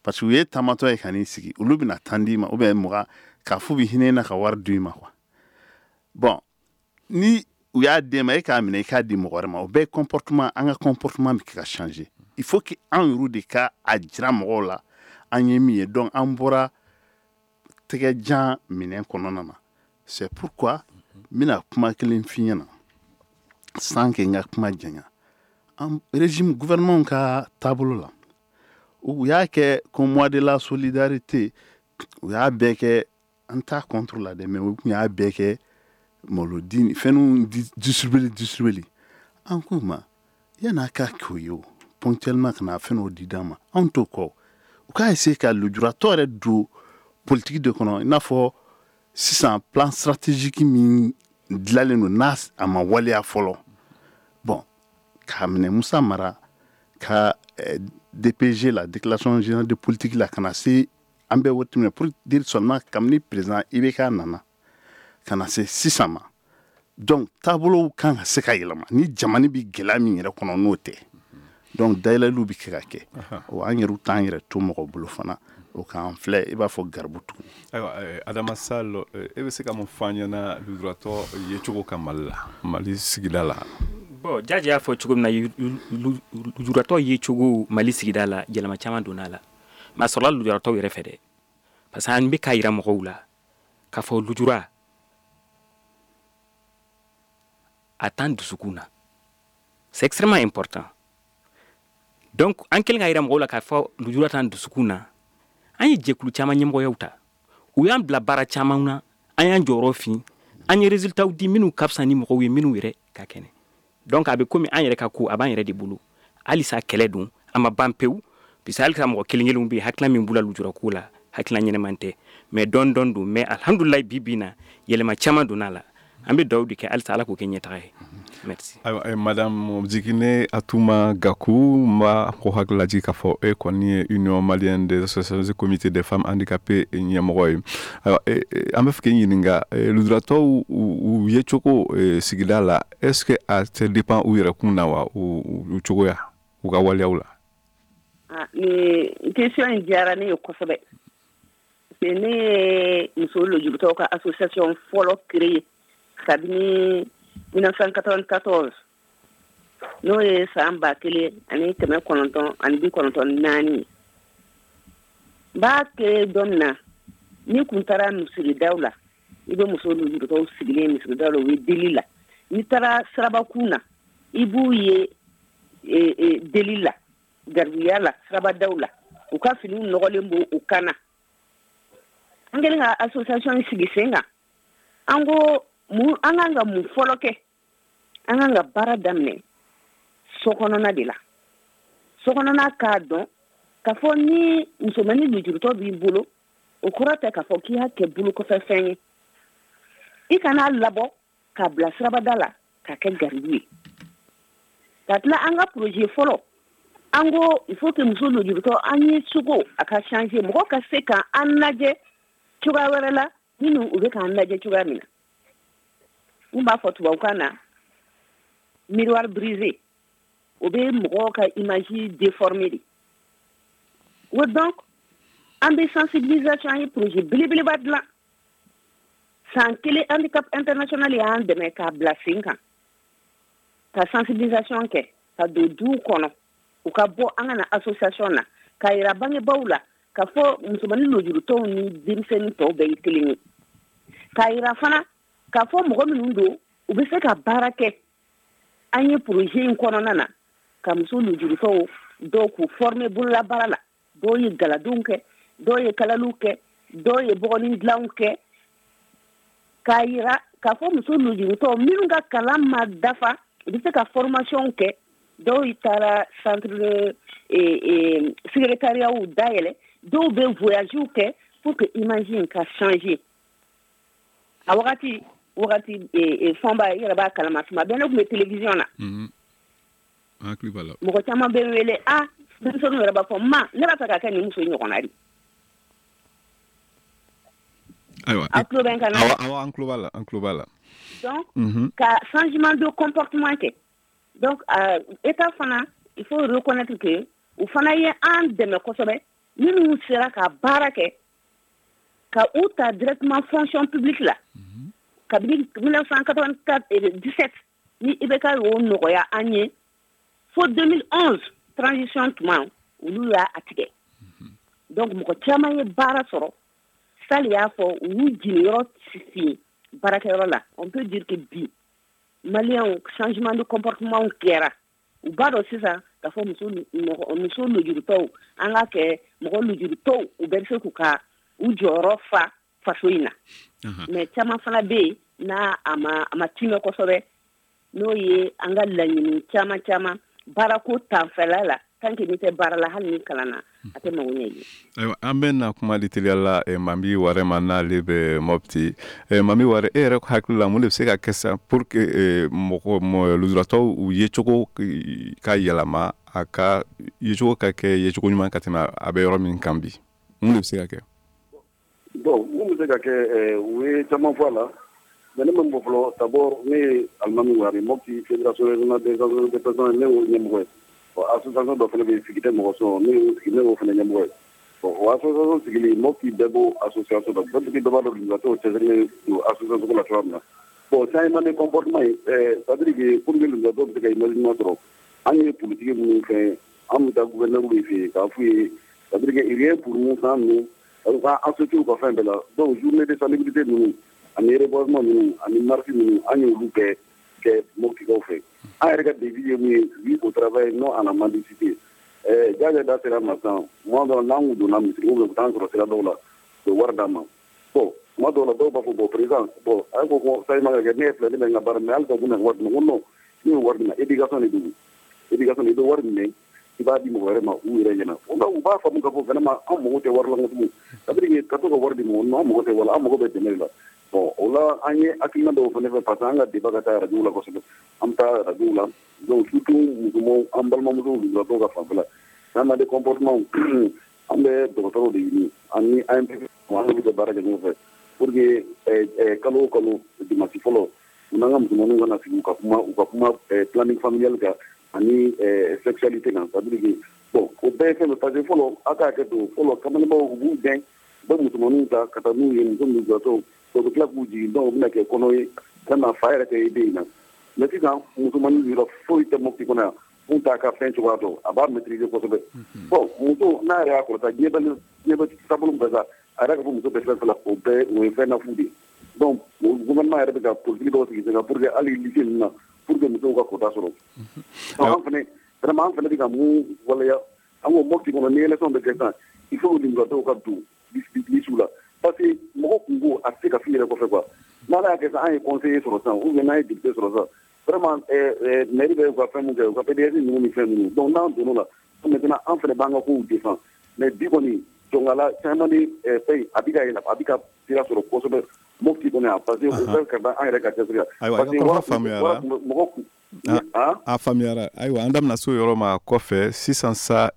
parce que u ye taamatɔ ye ka n'i sigi, olu bɛna tan d'i ma ou bien 20, k'a f'u bɛ hinɛ na ka wari d'u ma quoi. Bon, ni u y'a d'e ma, e k'a minɛ i k'a di mɔgɔ wɛrɛ ma. O bɛɛ ye comportement, an ka comportement bɛ ka changer. Il faut que an yɛrɛ de ka a jira mɔgɔw la an ye min ye. Donc an bɔra tɛgɛjan minɛn kɔnɔna na. C'est pourquoi n bɛna kuma kelen f'i ɲɛna sans que n ka kuma janya. An régime, gouvernement ka taabolo la, u y'a kɛ comme mois de la solidarité, u y'a bɛɛ kɛ, an t'a contre la dɛ, mais u tun y'a bɛɛ kɛ malodi ni fɛnw distribuer distribuer. An k'u ma, yan'a ka k'o ye, o ponctuellement ka na fɛn dɔw di d'an ma, anw t'o kɔ. U k'a essayer ka lujuratɔ yɛrɛ don politique de kɔnɔ, i n'a fɔ Sisan, plan stratégique min dilanlen don, n'a a ma waleya fɔlɔ, bon, k'a minɛ Musa Mara ka DPG la, déclaration générale de politique la, ka na se an bɛ waati min na, pour dire seulement, kabini président IBK nana ka na se sisan ma. Donc taabolow kan ka se ka yɛlɛma ni jamana bɛ gɛlɛya min yɛrɛ kɔnɔ, n'o tɛ, donc dayɛlɛliw bɛ kɛ ka kɛ. O an yɛrɛw t'an yɛrɛ to mɔgɔ bolo fana, o k'an filɛ i b'a fɔ garibu tugun. Ayiwa, Adama Sall, e bɛ se ka mun fɔ an ɲɛna lujuratɔ yecogo kan Mali la, Mali sigida la? Bon, Jaji y'a fɔ cogo min na, lujuratɔ yecogo Mali sigida la, yɛlɛma caman donna a la, mais a sɔrɔla lujuratɔw yɛrɛ fɛ dɛ, parce que an bɛ k'a yira mɔgɔw la k'a fɔ lujura a t'an dusukun na. C'est extrêmement important. Donc an kɛlen k'a yira mɔgɔw la k'a fɔ lujura t'an dusukun na, an ye jɛkulu caman ɲɛmɔgɔyaw ta, u y'an bila baara caman na, an y'an jɔyɔrɔ fin, an ye résultats di minnu ka fisa ni mɔgɔw ye minnu yɛrɛ ka kɛnɛ. Donc a bɛ komi an yɛrɛ ka ko a b'an yɛrɛ de bolo. Halisa kɛlɛ don, a ma ban pewu, puisque halisa mɔgɔ kelen kelenw bɛ yen, hakilina min b'u la lujurako la, hakilina ɲɛnɛman tɛ, mais dɔɔni dɔɔni don. Mais alhamdulilayi, bi bi in na, yɛlɛma caman donna a la. An bɛ dugawu de kɛ halisa, Ala k'o kɛ ɲɛtaga ye. Merci. Ayiwa, madame Jigine Atuma Gaku, n b'a ko hakili lajigin k'a fɔ e kɔni ye Union malienne des associations et comités des femmes handicapées ɲɛmɔgɔ ye. Ayiwa, an bɛ fɛ k'i ɲininka lujuratɔw u yecogo sigida la, est ce que a tɛ dépend u yɛrɛ kun na wa, u cogoya, u ka waleyaw la? Nin question in diyara ne ye kosɛbɛ, parce que ne ye muso lujuratɔw ka association fɔlɔ créer kabini 1994, n'o ye san 1994 ye. N b'a créer don min na, ni kun taara misiridaw la, i bɛ muso lujuratɔw sigilen misiridaw la, u bɛ deli la. N'i taara sirabakun na, i b'u ye deli la, garibuya la, sirabadaw la, u ka finiw nɔgɔlen b'u u kan na. An kɛlen ka association sigi sen kan, an ko mun, an kan ka mun fɔlɔ kɛ? An kan ka baara daminɛ so kɔnɔna de la. So kɔnɔna k'a dɔn k'a fɔ ni musomanin lujuratɔ b'i bolo, o kɔrɔ tɛ k'a fɔ k'i y'a kɛ bolokɔfɛ fɛn ye. I kan'a labɔ k'a bila sirabada la k'a kɛ garibu ye. Ka tila, an ka projet fɔlɔ, an ko il faut que muso lujuratɔ an ye cogo a ka changer, mɔgɔ ka se ka an lajɛ cogoya wɛrɛ la minnu u bɛ k'an lajɛ cogoya min na. Mun b'a fɔ tubabukan na miroir brisé, o bɛ mɔgɔw ka image déformer de o. Donc an bɛ sensibilisation, an ye projet belebeleba dilan san kelen. Handicap International y'an dɛmɛ k'a bila sen kan, ka sensibilisation kɛ, ka don duw kɔnɔ, u ka bɔ an ka na association na, k'a yira bangebaaw la k'a fɔ musomanin lujuratɔw ni denmisɛnnin tɔw bɛɛ ye kelen ye, k'a yira fana k'a fɔ mɔgɔ minnu don, u bɛ se ka baara kɛ. An ye projet in kɔnɔna na ka muso lujuratɔw dɔw k'u former bololabaara la. Dɔw ye galadenw kɛ, dɔw ye kalaliw kɛ, dɔw ye bɔgɔnin dilanw kɛ, k'a yira k'a fɔ muso lujuratɔw minnu ka kalan ma dafa, u bɛ se ka formation kɛ. Dɔw taara centre de secrétariat dayɛlɛ, dɔw bɛ voyage kɛ pour que image in ka changer. A wagati wagati, fɔnba, i yɛrɛ b'a kalama, tuma bɛɛ ne tun bɛ télévision na. Hakili b'a la. Mɔgɔ caman bɛ n wele, a denmisɛnninw yɛrɛ b'a fɔ ma, ne b'a fɛ ka kɛ nin muso in ɲɔgɔnna de. Ayiwa. Aw tulo bɛ n kan na? Awɔ, awɔ, an tulo b'a la, an tulo b'a la. Donc ka changement de comportement kɛ. Donc état fana, il faut reconnaître que u fana ye an dɛmɛ kosɛbɛ. Minnu sera ka baara kɛ, ka u ta directement fonction publique la kabini 1984 17 ni IBK y'o nɔgɔya an ye, fo 2011 transition tuma, olu y'a a tigɛ. Donc mɔgɔ caman ye baara sɔrɔ. Sali y'a fɔ, u y'u jiginyɔrɔ fin baarakɛyɔrɔ la. On peut dire que bi maliyɛnw, changement de comportement kɛra. U b'a dɔn sisan k'a fɔ muso muso lujuratɔw, an k'a kɛ mɔgɔ lujuratɔw, u bɛɛ bɛ se k'u ka u jɔyɔrɔ fa faso in na. Mais caman fana bɛ yen n'a a ma timɛ kosɛbɛ, n'o ye an ka laɲini caman caman baarako tanfɛla la. Tant que n'i tɛ baara la, hali ni kalanna, a tɛ mago ɲɛ i ye. Ayiwa, an bɛ na kuma di teliya la Mami Ware ma, n'ale bɛ Mopti. Mami Ware, e yɛrɛ hakili la, mun de bɛ se ka kɛ sisan pour que mɔgɔ lujuratɔw u yecogo ka yɛlɛma, a ka yecogo ka kɛ yecogo ɲuman ka tɛmɛ a bɛ yɔrɔ min kan bi? Mun de bɛ se ka kɛ? Bon, mun bɛ se ka kɛ, u ye caman fɔ a la, mais ne ma min fɔ fɔlɔ, d'abord ne ye Alimami Ware, Mopti fédération régionale des associations de personnes, ne y'o ɲɛmɔgɔ ye. Bon, association dɔ fana bɛ yen, sigi tɛ mɔgɔ sɔn, ne y'o fana ɲɛmɔgɔ ye. Bon, o association sigili, Mopti bɛɛ b'o association dɔn, peut-être dɔ b'a dɔn lujuratɔw cɛsirilen don association ko la cogoya min na. Bon, changement de comportement ye, c'est à dire que pour que lujuratɔw bɛ se ka image ɲuman sɔrɔ, an ye politique minnu fɛ, an bɛ taa gouverneur fɛ yen k'a f'u ye, c'est à dire que rien pour nous sans nous, u ka associé u ka fɛn bɛɛ la. Donc journée de salubrité ninnu ani reboisement ninnu ani marche ninnu, an y'olu bɛɛ kɛ Moptikaw fɛ. An yɛrɛ ka devise ye mun ye? Oui au travail, non à la mendicité. Jaja da sera ma sisan, tuma dɔw la n'an kun donna misiri ou bien u bɛ taa sɔrɔ sira dɔw la, u bɛ wari d'an ma. Bon, tuma dɔw la dɔw b'a fɔ: bon président, bon a ko ko changement ka kɛ, ne ye filɛ, ne bɛ n ka baara, mais halisa u bɛna wari di ma. N ko non, ne ye wari di ma, éducation de don, éducation, i bɛ wari minɛ, i b'a di mɔgɔ wɛrɛ ma u yɛrɛ ɲɛna. O la u b'a faamu k'a fɔ vraiment an mago tɛ wari la tugun, c'est à dire que ka to ka wari di mɔgɔ ma, an mago tɛ wari la, an mago bɛ dɛmɛ de la. Bon, o la an ye hakilina dɔw fana fɛ, parce que an ka débat ka taa radio la kosɛbɛ, an bɛ taa radio la. Donc surtout musomanw, an balimamusow, lujuratɔw ka fanfɛla, changement de comportement, an bɛ dɔgɔtɔrɔw de ɲini ani ANPP, an n'olu bɛ baara kɛ ɲɔgɔn fɛ pour que kalo o kalo dimanche fɔlɔ, u n'an ka musomaninw kana sigi, u ka kuma planning familial kan ani sexualité kan. C'est à dire que bon, o bɛɛ ye fɛn dɔ, parce que fɔlɔ, a ka hakɛ to, fɔlɔ kamalenbaw u b'u gɛn, u bɛ musomaninw ta ka taa n'u ye, muso lujuratɔw, u bɛ tila k'u jigin. Donc u bɛna kɛ kɔnɔ ye, vraiment fa yɛrɛ tɛ ye den in na. Mais sisan musomanin yɔrɔ foyi tɛ Mopti kɔnɔ yan mun t'a ka fɛn cogoya dɔn, a b'a maîtriser kosɛbɛ. Bon, muso n'a yɛrɛ y'a kɔrɔta, diɲɛ bɛ taabolo min fɛ sa, a yɛrɛ ka fɔ muso bɛ fɛn fɛn la, o bɛɛ o ye fɛn na fu de ye. Donc gouvernement yɛrɛ bɛ ka politique dɔw sigi sen kan pour que hali lycée ninnu na, pour que musow ka quota sɔrɔ. Donc an fana, vraiment an fana bɛ ka mun waleya, an ko Mopti kɔnɔ, ni élection bɛ kɛ sisan, il faut que lujuratɔw ka don liste la, parce que mɔgɔ kunko a tɛ se ka f'i yɛrɛ kɔfɛ quoi. N'Ala y'a kɛ sisan, an ye conseiller sɔrɔ sisan ou bien n'an ye député sɔrɔ sisan, vraiment mairie bɛ u ka fɛn mun kɛ, u ka PDS ninnu ni fɛn ninnu, donc n'an donn'o la maintenant, an fana b'an ka kow défend. Mais bi kɔni jɔnkala caman ni fɛn, a bɛ ka yɛlɛ, a bɛ ka sira sɔrɔ kosɛbɛ Mopti kɔnɔ yan, parce que o bɛɛ ka da an yɛrɛ ka cɛsiri kan. Ayiwa, i ka kɔrɔfɔ faamuyara. Mɔgɔ kun a faamuyara. Ayiwa, an da bɛna se o yɔrɔ ma kɔfɛ. Sisan sa,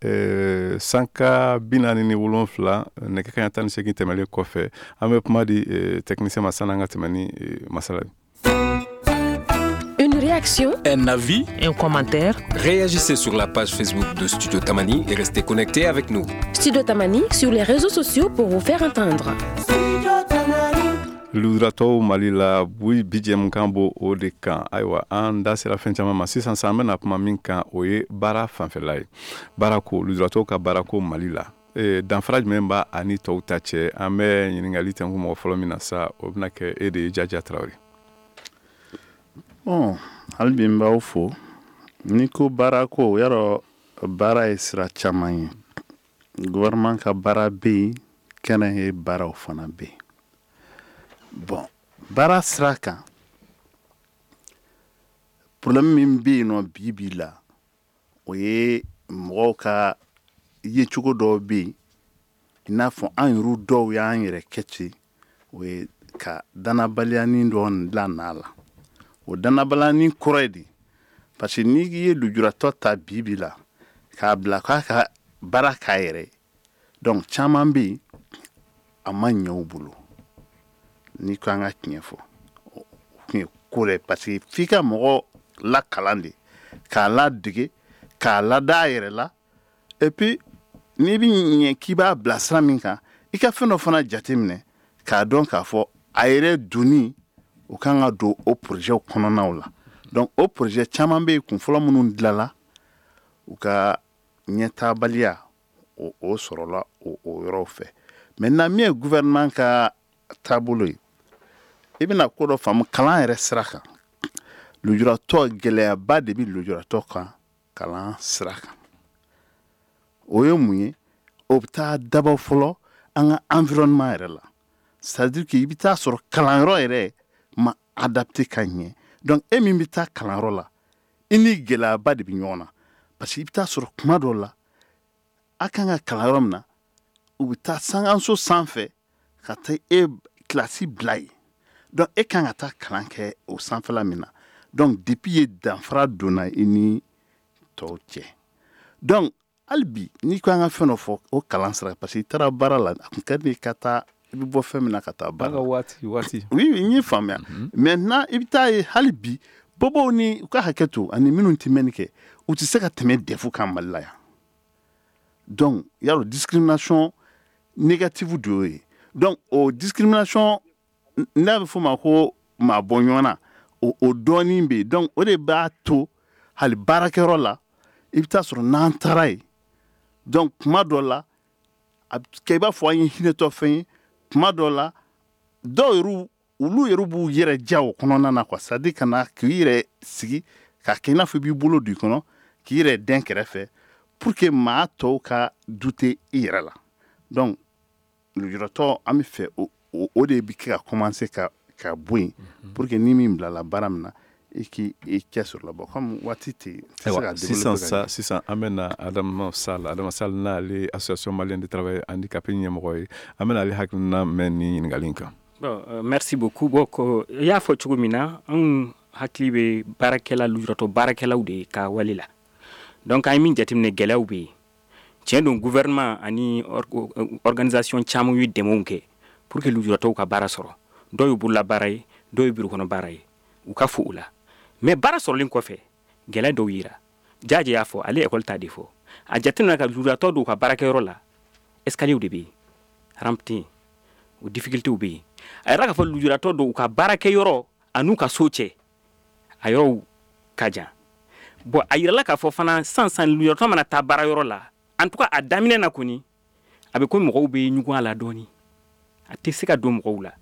sanka 47, nɛgɛ kaɲa 18 tɛmɛlen kɔfɛ, an bɛ kuma di technicien ma sanni an ka tɛmɛ ni masala ye. Une réaction? Un avis? Un commentaire? Réagissez sur la page Facebook de Studio Tamani et restez connectés avec nous. Studio Tamani sur les réseaux sociaux pour vous faire entendre. Lujuratɔw Mali la, bi bi jɛmukan b'o o de kan. Ayiwa, an da sera fɛn caman ma. Sisan sa, an bɛna kuma min kan, o ye baara fanfɛla ye, baarako, lujuratɔw ka baarako Mali la, danfara jumɛn b'a ani tɔw ta cɛ? An bɛ ɲininkali tɛnku mɔgɔ fɔlɔ min na sa, o bɛna kɛ e de ye, Jaja Tarawele. Bon, hali bi n b'aw fo. N'i ko baarako, yarɔ baara ye sira caman ye. Gouvernement ka baara bɛ yen, kɛnɛ ye baaraw fana bɛ yen. Bon, baara sira kan, problème min bɛ yen nɔ bi bi la, o ye mɔgɔw ka yecogo dɔw bɛ yen, i n'a fɔ an yɛrɛ dɔw y'an yɛrɛ kɛ ten, o ye ka danabaliyanin dɔ la n'a la. O danabaliyanin kɔrɔ ye di? Parce que n'i ye lujuratɔ ta bi bi la k'a bila k'a ka baara k'a yɛrɛ ye, donc caman bɛ yen, a ma ɲɛ u bolo. N'i ko an ka tiɲɛ fɔ, o tun ye ko dɛ, parce que f'i ka mɔgɔ lakalan de, k'a ladege, k'a lada a yɛrɛ la. Et puis n'i bɛ ɲɛ k'i b'a bila sira min kan, i ka fɛn dɔ fana jateminɛ k'a dɔn k'a fɔ a yɛrɛ donni, o kan ka don o projet kɔnɔnaw la. Donc o projet caman bɛ yen, kun fɔlɔ minnu dilanla, u ka ɲɛtaabaliya o sɔrɔla o yɔrɔw fɛ. Maintenant, min ye gouvernement ka taabolo ye, i bɛna ko dɔ faamu kalan yɛrɛ sira kan. Lujuratɔ, gɛlɛyaba de bɛ lujuratɔ kan kalan sira kan. O ye mun ye? O bɛ taa dabɔ fɔlɔ an ka environnement yɛrɛ la, c'est à dire que i bɛ taa sɔrɔ kalanyɔrɔ yɛrɛ ma adapté ka ɲɛ. Donc e min bɛ taa kalanyɔrɔ la, i ni gɛlɛyaba de bɛ ɲɔgɔn na. Parce que i bɛ taa sɔrɔ kuma dɔw la, a kan ka kalan yɔrɔ min na, u bɛ taa sankanso sanfɛ ka taa e kilasi bila yen. Donc e kan ka taa kalan kɛ o sanfɛla min na. Donc depuis ye danfara donna i ni tɔw cɛ. Donc hali bi, n'i ko an ka fɛn dɔ fɔ o kalan sira, parce que i taara baara la, a tun ka di ka taa, i bɛ bɔ fɛn min na ka taa baara la. Waati waati. Oui, n y'i faamuya. Maintenant, i bɛ taa ye hali bi, bobow ni u ka hakɛ to ani minnu tɛ mɛnni kɛ, u tɛ se ka tɛmɛ DEF kan Mali la yan. Donc yarɔ, discrimination négative de y'o ye. Donc o discrimination n'a bɛ f'o ma ko maa bɔ ɲɔgɔn na, o dɔɔnin bɛ yen. Donc o de b'a to hali baarakɛyɔrɔ la, i bɛ taa sɔrɔ n'an taara yen, donc kuma dɔ la a bɛ kɛ i b'a fɔ an ye hinɛtɔ fɛn ye. Kuma dɔ la, dɔw yɛrɛ, olu yɛrɛ b'u yɛrɛ ja o kɔnɔna na quoi, c'est à dire ka na k'i yɛrɛ sigi k'a kɛ i n'a fɔ i b'i bolo don i kɔnɔ, k'i yɛrɛ dɛn kɛrɛfɛ pour que maa tɔw ka douter i yɛrɛ la. Donc lujuratɔ, an bɛ fɛ o de bɛ kɛ ka commencer ka bɔ yen pour que ni min bilala baara min na, i k'i cɛ sɔrɔ la. Bon, comme waati tɛ yen, tɛ se ka sisan sa, sisan an bɛ na Adama Sall. Adama Sall, n'ale Association malienne de travailleurs handicapés ɲɛmɔgɔ ye, an bɛ n'ale hakilina mɛn ni ɲininkali in kan. Bon, merci beaucoup. Bon, ko i y'a fɔ cogo min na, anw hakili bɛ baarakɛla, lujuratɔ baarakɛlaw de ka wale la. Donc an ye min jateminɛ, gɛlɛyaw bɛ yen, tiɲɛ don. Gouvernement ani organisation caman ye dɛmɛw kɛ pour que lujuratɔw ka baara sɔrɔ. Dɔw ye bolola baara ye, dɔw ye bureau kɔnɔ baara ye, u ka fo u la. Mais baara sɔrɔlen kɔfɛ, gɛlɛya dɔw yira. Jaje y'a fɔ, ale école ta de fɔ. A jateminɛ ka lujuratɔ dɔw ka baarakɛyɔrɔ la, escalier de bɛ yen, rampe tɛ yen, o difficulté bɛ yen. A yɛrɛ k'a fɔ lujuratɔ dɔw ka baarakɛyɔrɔ an'u ka so cɛ, a yɔrɔw ka jan. Bon, a yirala k'a fɔ fana, sisan sisan, lujuratɔ mana taa baarayɔrɔ la, en tout cas a daminɛ na kɔni, a bɛ ko mɔgɔw bɛ ɲugun a la dɔɔni, a tɛ se ka don mɔgɔw la.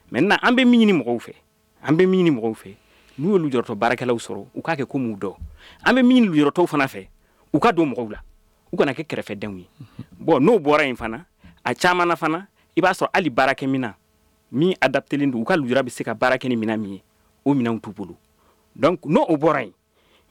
Maintenant, an bɛ min ɲini mɔgɔw fɛ, an bɛ min ɲini mɔgɔw fɛ, n'u ye lujuratɔ baarakɛlaw sɔrɔ, u k'a kɛ komi u dɔn. An bɛ min ɲini lujuratɔw fana fɛ, u ka don mɔgɔw la, u kana kɛ kɛrɛfɛdenw ye. Bon, n'o bɔra yen fana, a caman na fana, i b'a sɔrɔ hali baarakɛminɛn min adaptelen don, u ka lujura bɛ se ka baara kɛ ni minɛn min ye, o minɛnw t'u bolo. Donc n'o o bɔra yen,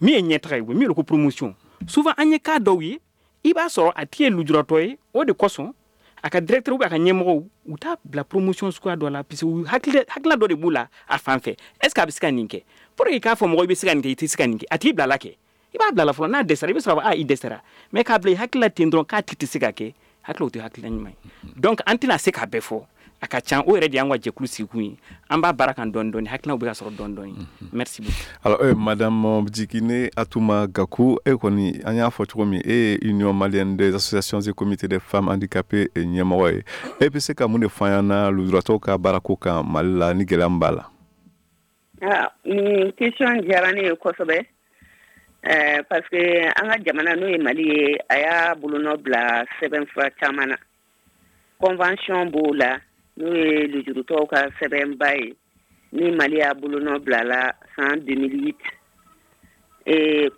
min ye ɲɛtaga ye, o min ko promotion, souvent an ye cas dɔw ye, i b'a sɔrɔ a tigi ye lujuratɔ ye, o de kosɔn a ka directeur ou a ka ɲɛmɔgɔw, u t'a bila promotion suguya dɔ la, puisque u hakilina dɔ de b'u la a fan fɛ. Est ce que a bɛ se ka nin kɛ? Pour que k'a fɔ mɔgɔ i bɛ se ka nin kɛ, i tɛ se ka nin kɛ, a tigi bilala kɛ, i b'a bila la fɔlɔ, n'a dɛsɛra, i bɛ sɔrɔ a i dɛsɛra. Mais k'a bila i hakili la ten dɔrɔn k'a tigi tɛ se ka kɛ, hakili o tɛ hakilina ɲuman ye. Donc an tɛna se k'a bɛɛ fɔ, a ka ca. O yɛrɛ de y'an ka jɛkulu sigikun ye. An b'a baara kan dɔɔni dɔɔni, hakilinaw bɛ ka sɔrɔ dɔɔni dɔɔni. Merci beaucoup. Alors madame Djikine Atouma Gakou, e kɔni, an y'a fɔ cogo min, e ye Union malienne des associations et comités des femmes handicapées ɲɛmɔgɔ ye. E bɛ se ka mun de fɔ an ɲɛna lujuratɔw ka baarako kan Mali la, ni gɛlɛya min b'a la? Ah, nin question diyara ne ye kosɛbɛ, parce que an ka jamana, n'o ye Mali ye, a y'a bolonɔ bila sɛbɛnfura caman na. Convention b'o la, n'o ye lujurutɔw ka sɛbɛnba ye, ni Mali y'a bolonɔ bila la san 2008.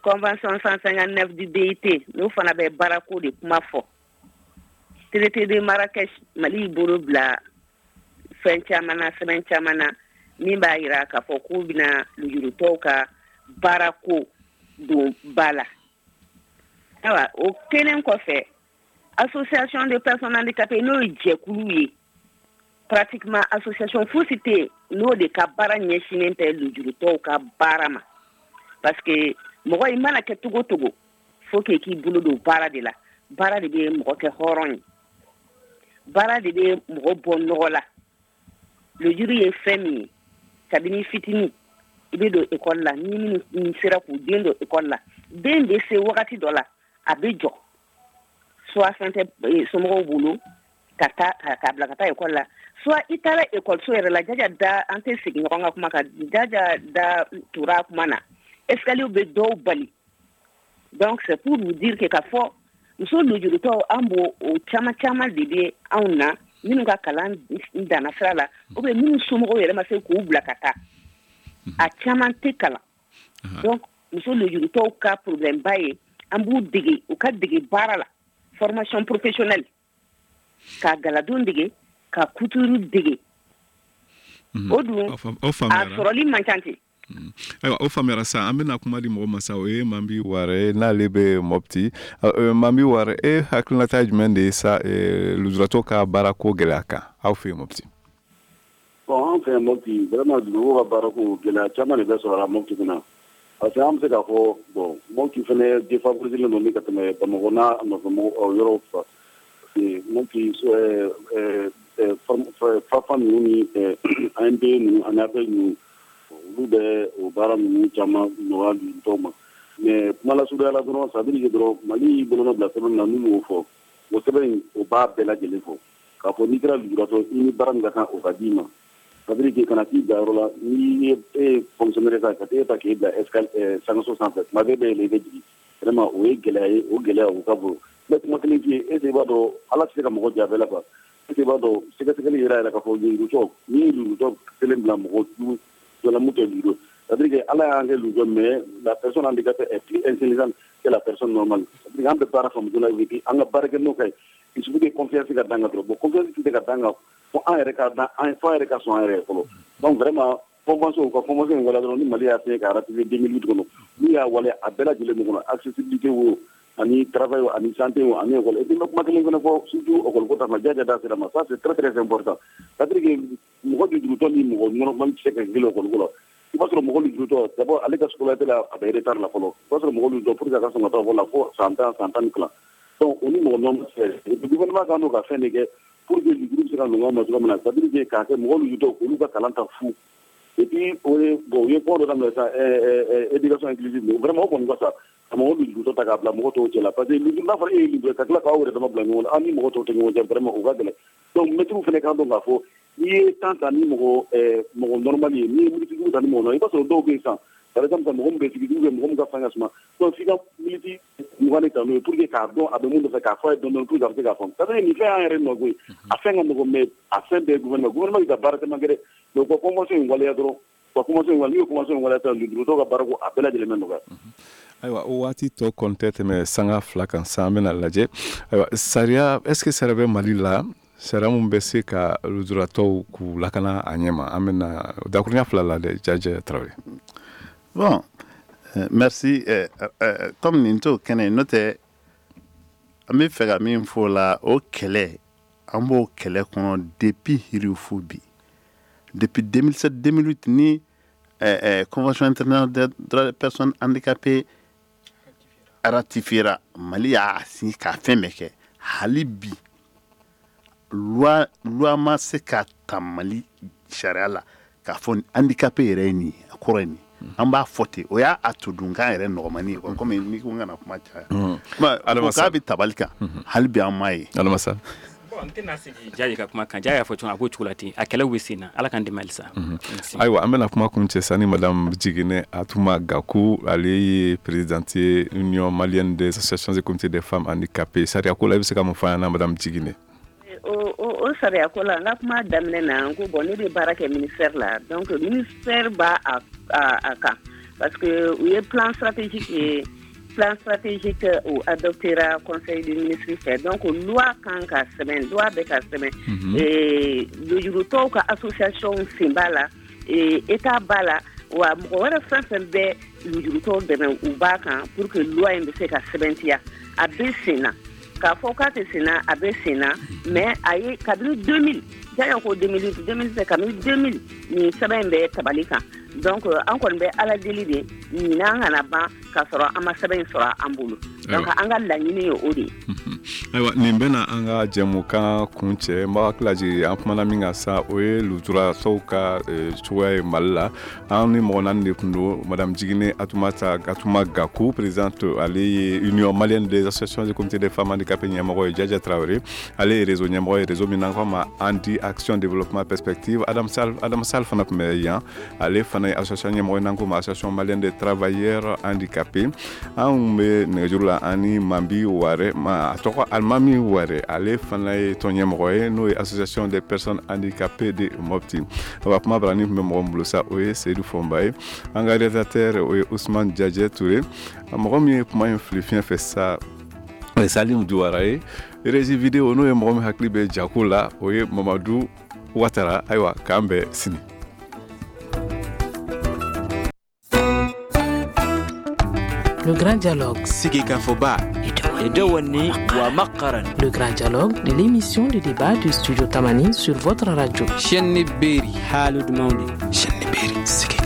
Convention 159 du BIT, n'o fana bɛ baarako de kuma fɔ. Traité de Marrakech, Mali y'i bolo bila fɛn caman na, sɛbɛn caman na, min b'a yira k'a fɔ k'u bɛna lujurutɔw ka baarako don ba la. Ayiwa, o kelen kɔfɛ, association de personnes handicapées, n'o ye jɛkulu ye, pratiquement association fosi tɛ yen n'o de ka baara ɲɛsinnen tɛ lujurutɔw ka baara ma, parce que mɔgɔ i mana kɛ togo togo, faut que k'i bolo don baara de la. Baara de bɛ mɔgɔ kɛ hɔrɔn ye, baara de bɛ mɔgɔ bɔ nɔgɔ la. Lujuru ye fɛn min ye, kabini fitinin i bɛ don ekɔli la, ni minnu sera k'u den don ekɔli la, den bɛ se wagati dɔ la, a bɛ jɔ, soit fɛn tɛ somɔgɔw bolo ka taa k'a bila ka taa ekɔli la, soit i taara ekɔliso yɛrɛ la. Jaja da, an tɛ segin ɲɔgɔn ka kuma kan, Jaja da tora kuma na, escalier bɛ dɔw bali. Donc c'est pour vous dire que ka fɔ muso lujurutɔw, an b'o o caman caman de bɛ anw na, minnu ka kalan danna sira la, ou bien minnu somɔgɔw yɛrɛ ma se k'u bila ka taa, a caman tɛ kalan. Donc muso lujurutɔw ka problème ba ye, an b'u dege, u ka dege baara la, formation professionnelle, ka galadon dege, ka couture dege. O dun, a sɔrɔli man ca ten. Ayiwa, o faamuyara sa. An bɛna kuma di mɔgɔ ma sa, o ye Mambi Ware, n'ale bɛ Mɔpti. Mambi Ware, e hakilinata jumɛn de ye sa lujuratɔ ka baarako gɛlɛya kan aw fɛ yen Mɔpti? Bon, an fɛ yan Mɔpti, vraiment, lujuratɔw ka baarako, gɛlɛya caman de bɛ sɔrɔ a la Mɔpti kunna, parce que an bɛ se k'a fɔ, bon, Mɔpti fɛnɛ défavorisé don ni ka tɛmɛ Bamakɔ n'a nɔfɛmɔgɔ yɔrɔw kan, parce que Mɔpti, FAFA ninnu ni ANPE ninnu ani APE ninnu, olu bɛ o baara ninnu caman nɔgɔya lujuratɔw ma. Mais kuma lasurunya la dɔrɔn, ça veut dire dɔrɔn, Mali y'i bolonɔ bila sɛbɛn min na, n'u y'o fɔ, o sɛbɛn in, o b'a bɛɛ lajɛlen fɔ k'a fɔ n'i kɛra lujuratɔ, i ni baara min ka kan, o ka d'i ma. Ça veut dire que kana t'i bila yɔrɔ la, n'i ye e ye fonctionnaire sa, ka t'e ta k'e bila escalier sankaso sanfɛ, tuma bɛɛ bɛ yɛlɛ, i bɛ jigin. Vraiment, o ye gɛlɛya ye, o gɛlɛya, o ka bon. N bɛ kuma kelen f'i ye, est ce que i b'a dɔn, Ala tɛ se ka mɔgɔ jɛ a bɛɛ la quoi. Est ce que i b'a dɔn, sɛgɛsɛgɛli yɛrɛ k'a fɔ lujuratɔ, n'i ye lujuratɔ kelen bila mɔgɔ dɔ la mun tɛ lujuratɔ, c'est à dire que Ala y'an kɛ lujuratɔ, mais la personne handicapée est plus intelligente que la personne normale. C'est à dire que an bɛ baara faamu joona, et puis an ka baarakɛ ka ɲi. Il suffit que confiance ka d'an kan dɔrɔn. Bon, confiance tɛ se ka d'an kan fo an yɛrɛ ka da an, fo an yɛrɛ ka sɔn an yɛrɛ ye fɔlɔ. Donc vraiment, convention, u ka convention in waleya dɔrɔn. Ni Mali y'a signé k'a ratifier 2008 kɔnɔ, n'u y'a waleya a bɛɛ lajɛlen bɛ kɔnɔ, accessibilité wo, ani travail wo, ani santé wo, ani école. Et puis n bɛ kuma kelen fana fɔ, surtout école ko ta fan, Jaja da sera ma, ça c'est très très important. C'est à dire que mɔgɔ lujuratɔ ni mɔgɔ normal tɛ se ka kelen école ko la. I b'a sɔrɔ mɔgɔ lujuratɔ, d'abord, ale ka scolarité la, a bɛ retard la fɔlɔ. I b'a sɔrɔ mɔgɔ lujuratɔ, pour que a ka sɔn ka taa école la, fo san 10, san 12. Donc o ni mɔgɔ normal tɛ. Et puis gouvernement kan ka fɛn de kɛ pour que lujuru bɛ se ka nɔgɔya ma cogoya min na, c'est à dire que k'a kɛ mɔgɔ lujuratɔ, olu ka kalan ta fu. Et puis o ye, bon, u ye kuma dɔ daminɛ sisan, éducation inclusive. Vraiment, o kɔni ka fisa ka mɔgɔ lujuratɔ ta k'a bila mɔgɔ tɔw cɛ la, parce que n'a fɔra e ye lujura, ka tila k'aw yɛrɛ dama bila ɲɔgɔn na, aw ni mɔgɔ tɔw tɛ ɲɔgɔn cɛ, vraiment, o ka gɛlɛn. Donc mɛtiriw fana kan dɔn k'a fɔ n'i ye temps ta ni mɔgɔ normal ye, n'i ye minute duuru ta ni mɔgɔ normal, i b'a sɔrɔ dɔw bɛ yen sisan, par exemple, mɔgɔ min bɛ sigi ou bien mɔgɔ min ka fanga ka suma, donc f'i ka minute 20 de ta n'o ye pour que k'a dɔn a bɛ mun nɔfɛ, k'a fɔ a ye dɔɔni dɔɔni pour que a bɛ se k'a faamu. C'est à dire nin fɛn y'an yɛrɛ nɔ koyi, a fɛn ka nɔgɔn, mais a fɛn bɛɛ ye gouvernement bɛ ka baara caman kɛ dɛ. Mais u ka convention in waleya dɔrɔn, u ka convention in waleya. N'u ye convention in waleya sisan, lujuratɔw ka baarako a bɛɛ lajɛlen bɛ nɔgɔya. Ayiwa, o waati tɔ kɔni tɛ tɛmɛ sanga 2 kan sisan. An bɛna lajɛ. Ayiwa, sariya, est ce que sariya bɛ Mali la, sariya mun bɛ se ka lujuratɔw k'u lakana a ɲɛ ma? An bɛna dakurunya 2 la dɛ, Jaja Tarawele. Bon, merci. Comme nin t'o kɛnɛ ye, n'o tɛ, an bɛ fɛ ka min fɔ o la, o kɛlɛ, an b'o kɛlɛ kɔnɔ depuis hirifu bi, depuis 2007 2008 ni convention internationale des droits des personnes handicapées ratifiera, Mali y'a signé k'a fɛn bɛɛ kɛ. Hali bi, loi ma se ka ta Mali sariya la k'a fɔ handicapé yɛrɛ ye nin ye, a kɔrɔ ye nin. An b'a fɔ ten, o y'a a todunkan yɛrɛ nɔgɔmani ye, komi n'i ko n kana kuma caya, o k'a bɛ tabali kan, hali bi an m'a ye. Alamasa. Bon, n tɛna sigi Jaja ka kuma kan. Jaja y'a fɔ cogo min, a b'o cogo la ten. A kɛlɛw bɛ sen na, Ala k'an dɛmɛ halisa. Ayiwa, an bɛna kuma kun cɛ sa ni madame Jiginɛ Atuma Gaku, ale ye présidente ye Union malienne des associations et comités des femmes handicapées. Sariya ko la, i bɛ se ka mun fɔ an ɲɛna, madame Jiginɛ? O sariya ko la, n ka kuma daminɛ na, n ko bon, ne bɛ baara kɛ ministère la. Donc ministère b'a a kan, parce que u ye plan stratégique ye, plan stratégique o adoptera conseil des ministres fɛ. Donc loi kan ka sɛbɛn, loi bɛ ka sɛbɛn. Lujuratɔw ka association sen b'a la, état b'a la, wa mɔgɔ wɛrɛ fɛn fɛn bɛ lujuratɔw dɛmɛ, u b'a kan pour que loi in bɛ se ka sɛbɛntiya. A bɛ sen na, k'a fɔ k'a tɛ sen na, a bɛ sen na. Mais a ye kabini 2000, Jaja ko 2008, 2007, kabini 2000 nin sɛbɛn in bɛ tabali kan. Donc an kɔni bɛ Ala deli de, ɲinan kana ban k'a sɔrɔ an ma sɛbɛn in sɔrɔ an bolo. Donc an ka laɲini ye o de ye. Ayiwa, nin bɛna an ka jɛmukan kun cɛ. N b'a hakili lajigin, an kumana min kan sa, o ye lujuratɔw ka cogoya ye Mali la. An ni mɔgɔ naani de tun don: madame Jiginɛ Atumata Atuma Gaku, présidente, ale ye Union malienne des associations et comités des femmes handicapées ɲɛmɔgɔ ye; Jaja Tarawele, ale ye réseau ɲɛmɔgɔ ye, réseau min n'an k'a ma Handi Action Développement Perspective; Adam Sall, Adam Sall fana tun bɛ yan, ale fana ye association ɲɛmɔgɔ ye n'an k'o ma Association malienne des travailleurs handicapés. Anw bɛ nɛgɛjuru la ani Mambi Ware, ma a tɔgɔ Alimami Ware, ale fana ye tɔn ɲɛmɔgɔ ye, n'o ye Association des personnes handicapées de Mopti. Awa, kuma barani tun bɛ mɔgɔ min bolo sa, o ye Seydou Fɔnba ye. An ka réalisateur, o ye Ousmane Jajɛ Touré. Mɔgɔ min ye kuma in fili fiɲɛ fɛ sa, o ye Salim Duwara ye. Régie vidéo, n'o ye mɔgɔ min hakili bɛ jako la, o ye Mamadu Watara. Ayiwa, k'an bɛn sini. Le Grand Dialogue. Sigikafɔba. Le Grand Dialogue, l'émission de débat du Studio Tamani sur votre radio. Chaîne Berry. Haalude mawde. Chaîne Berry.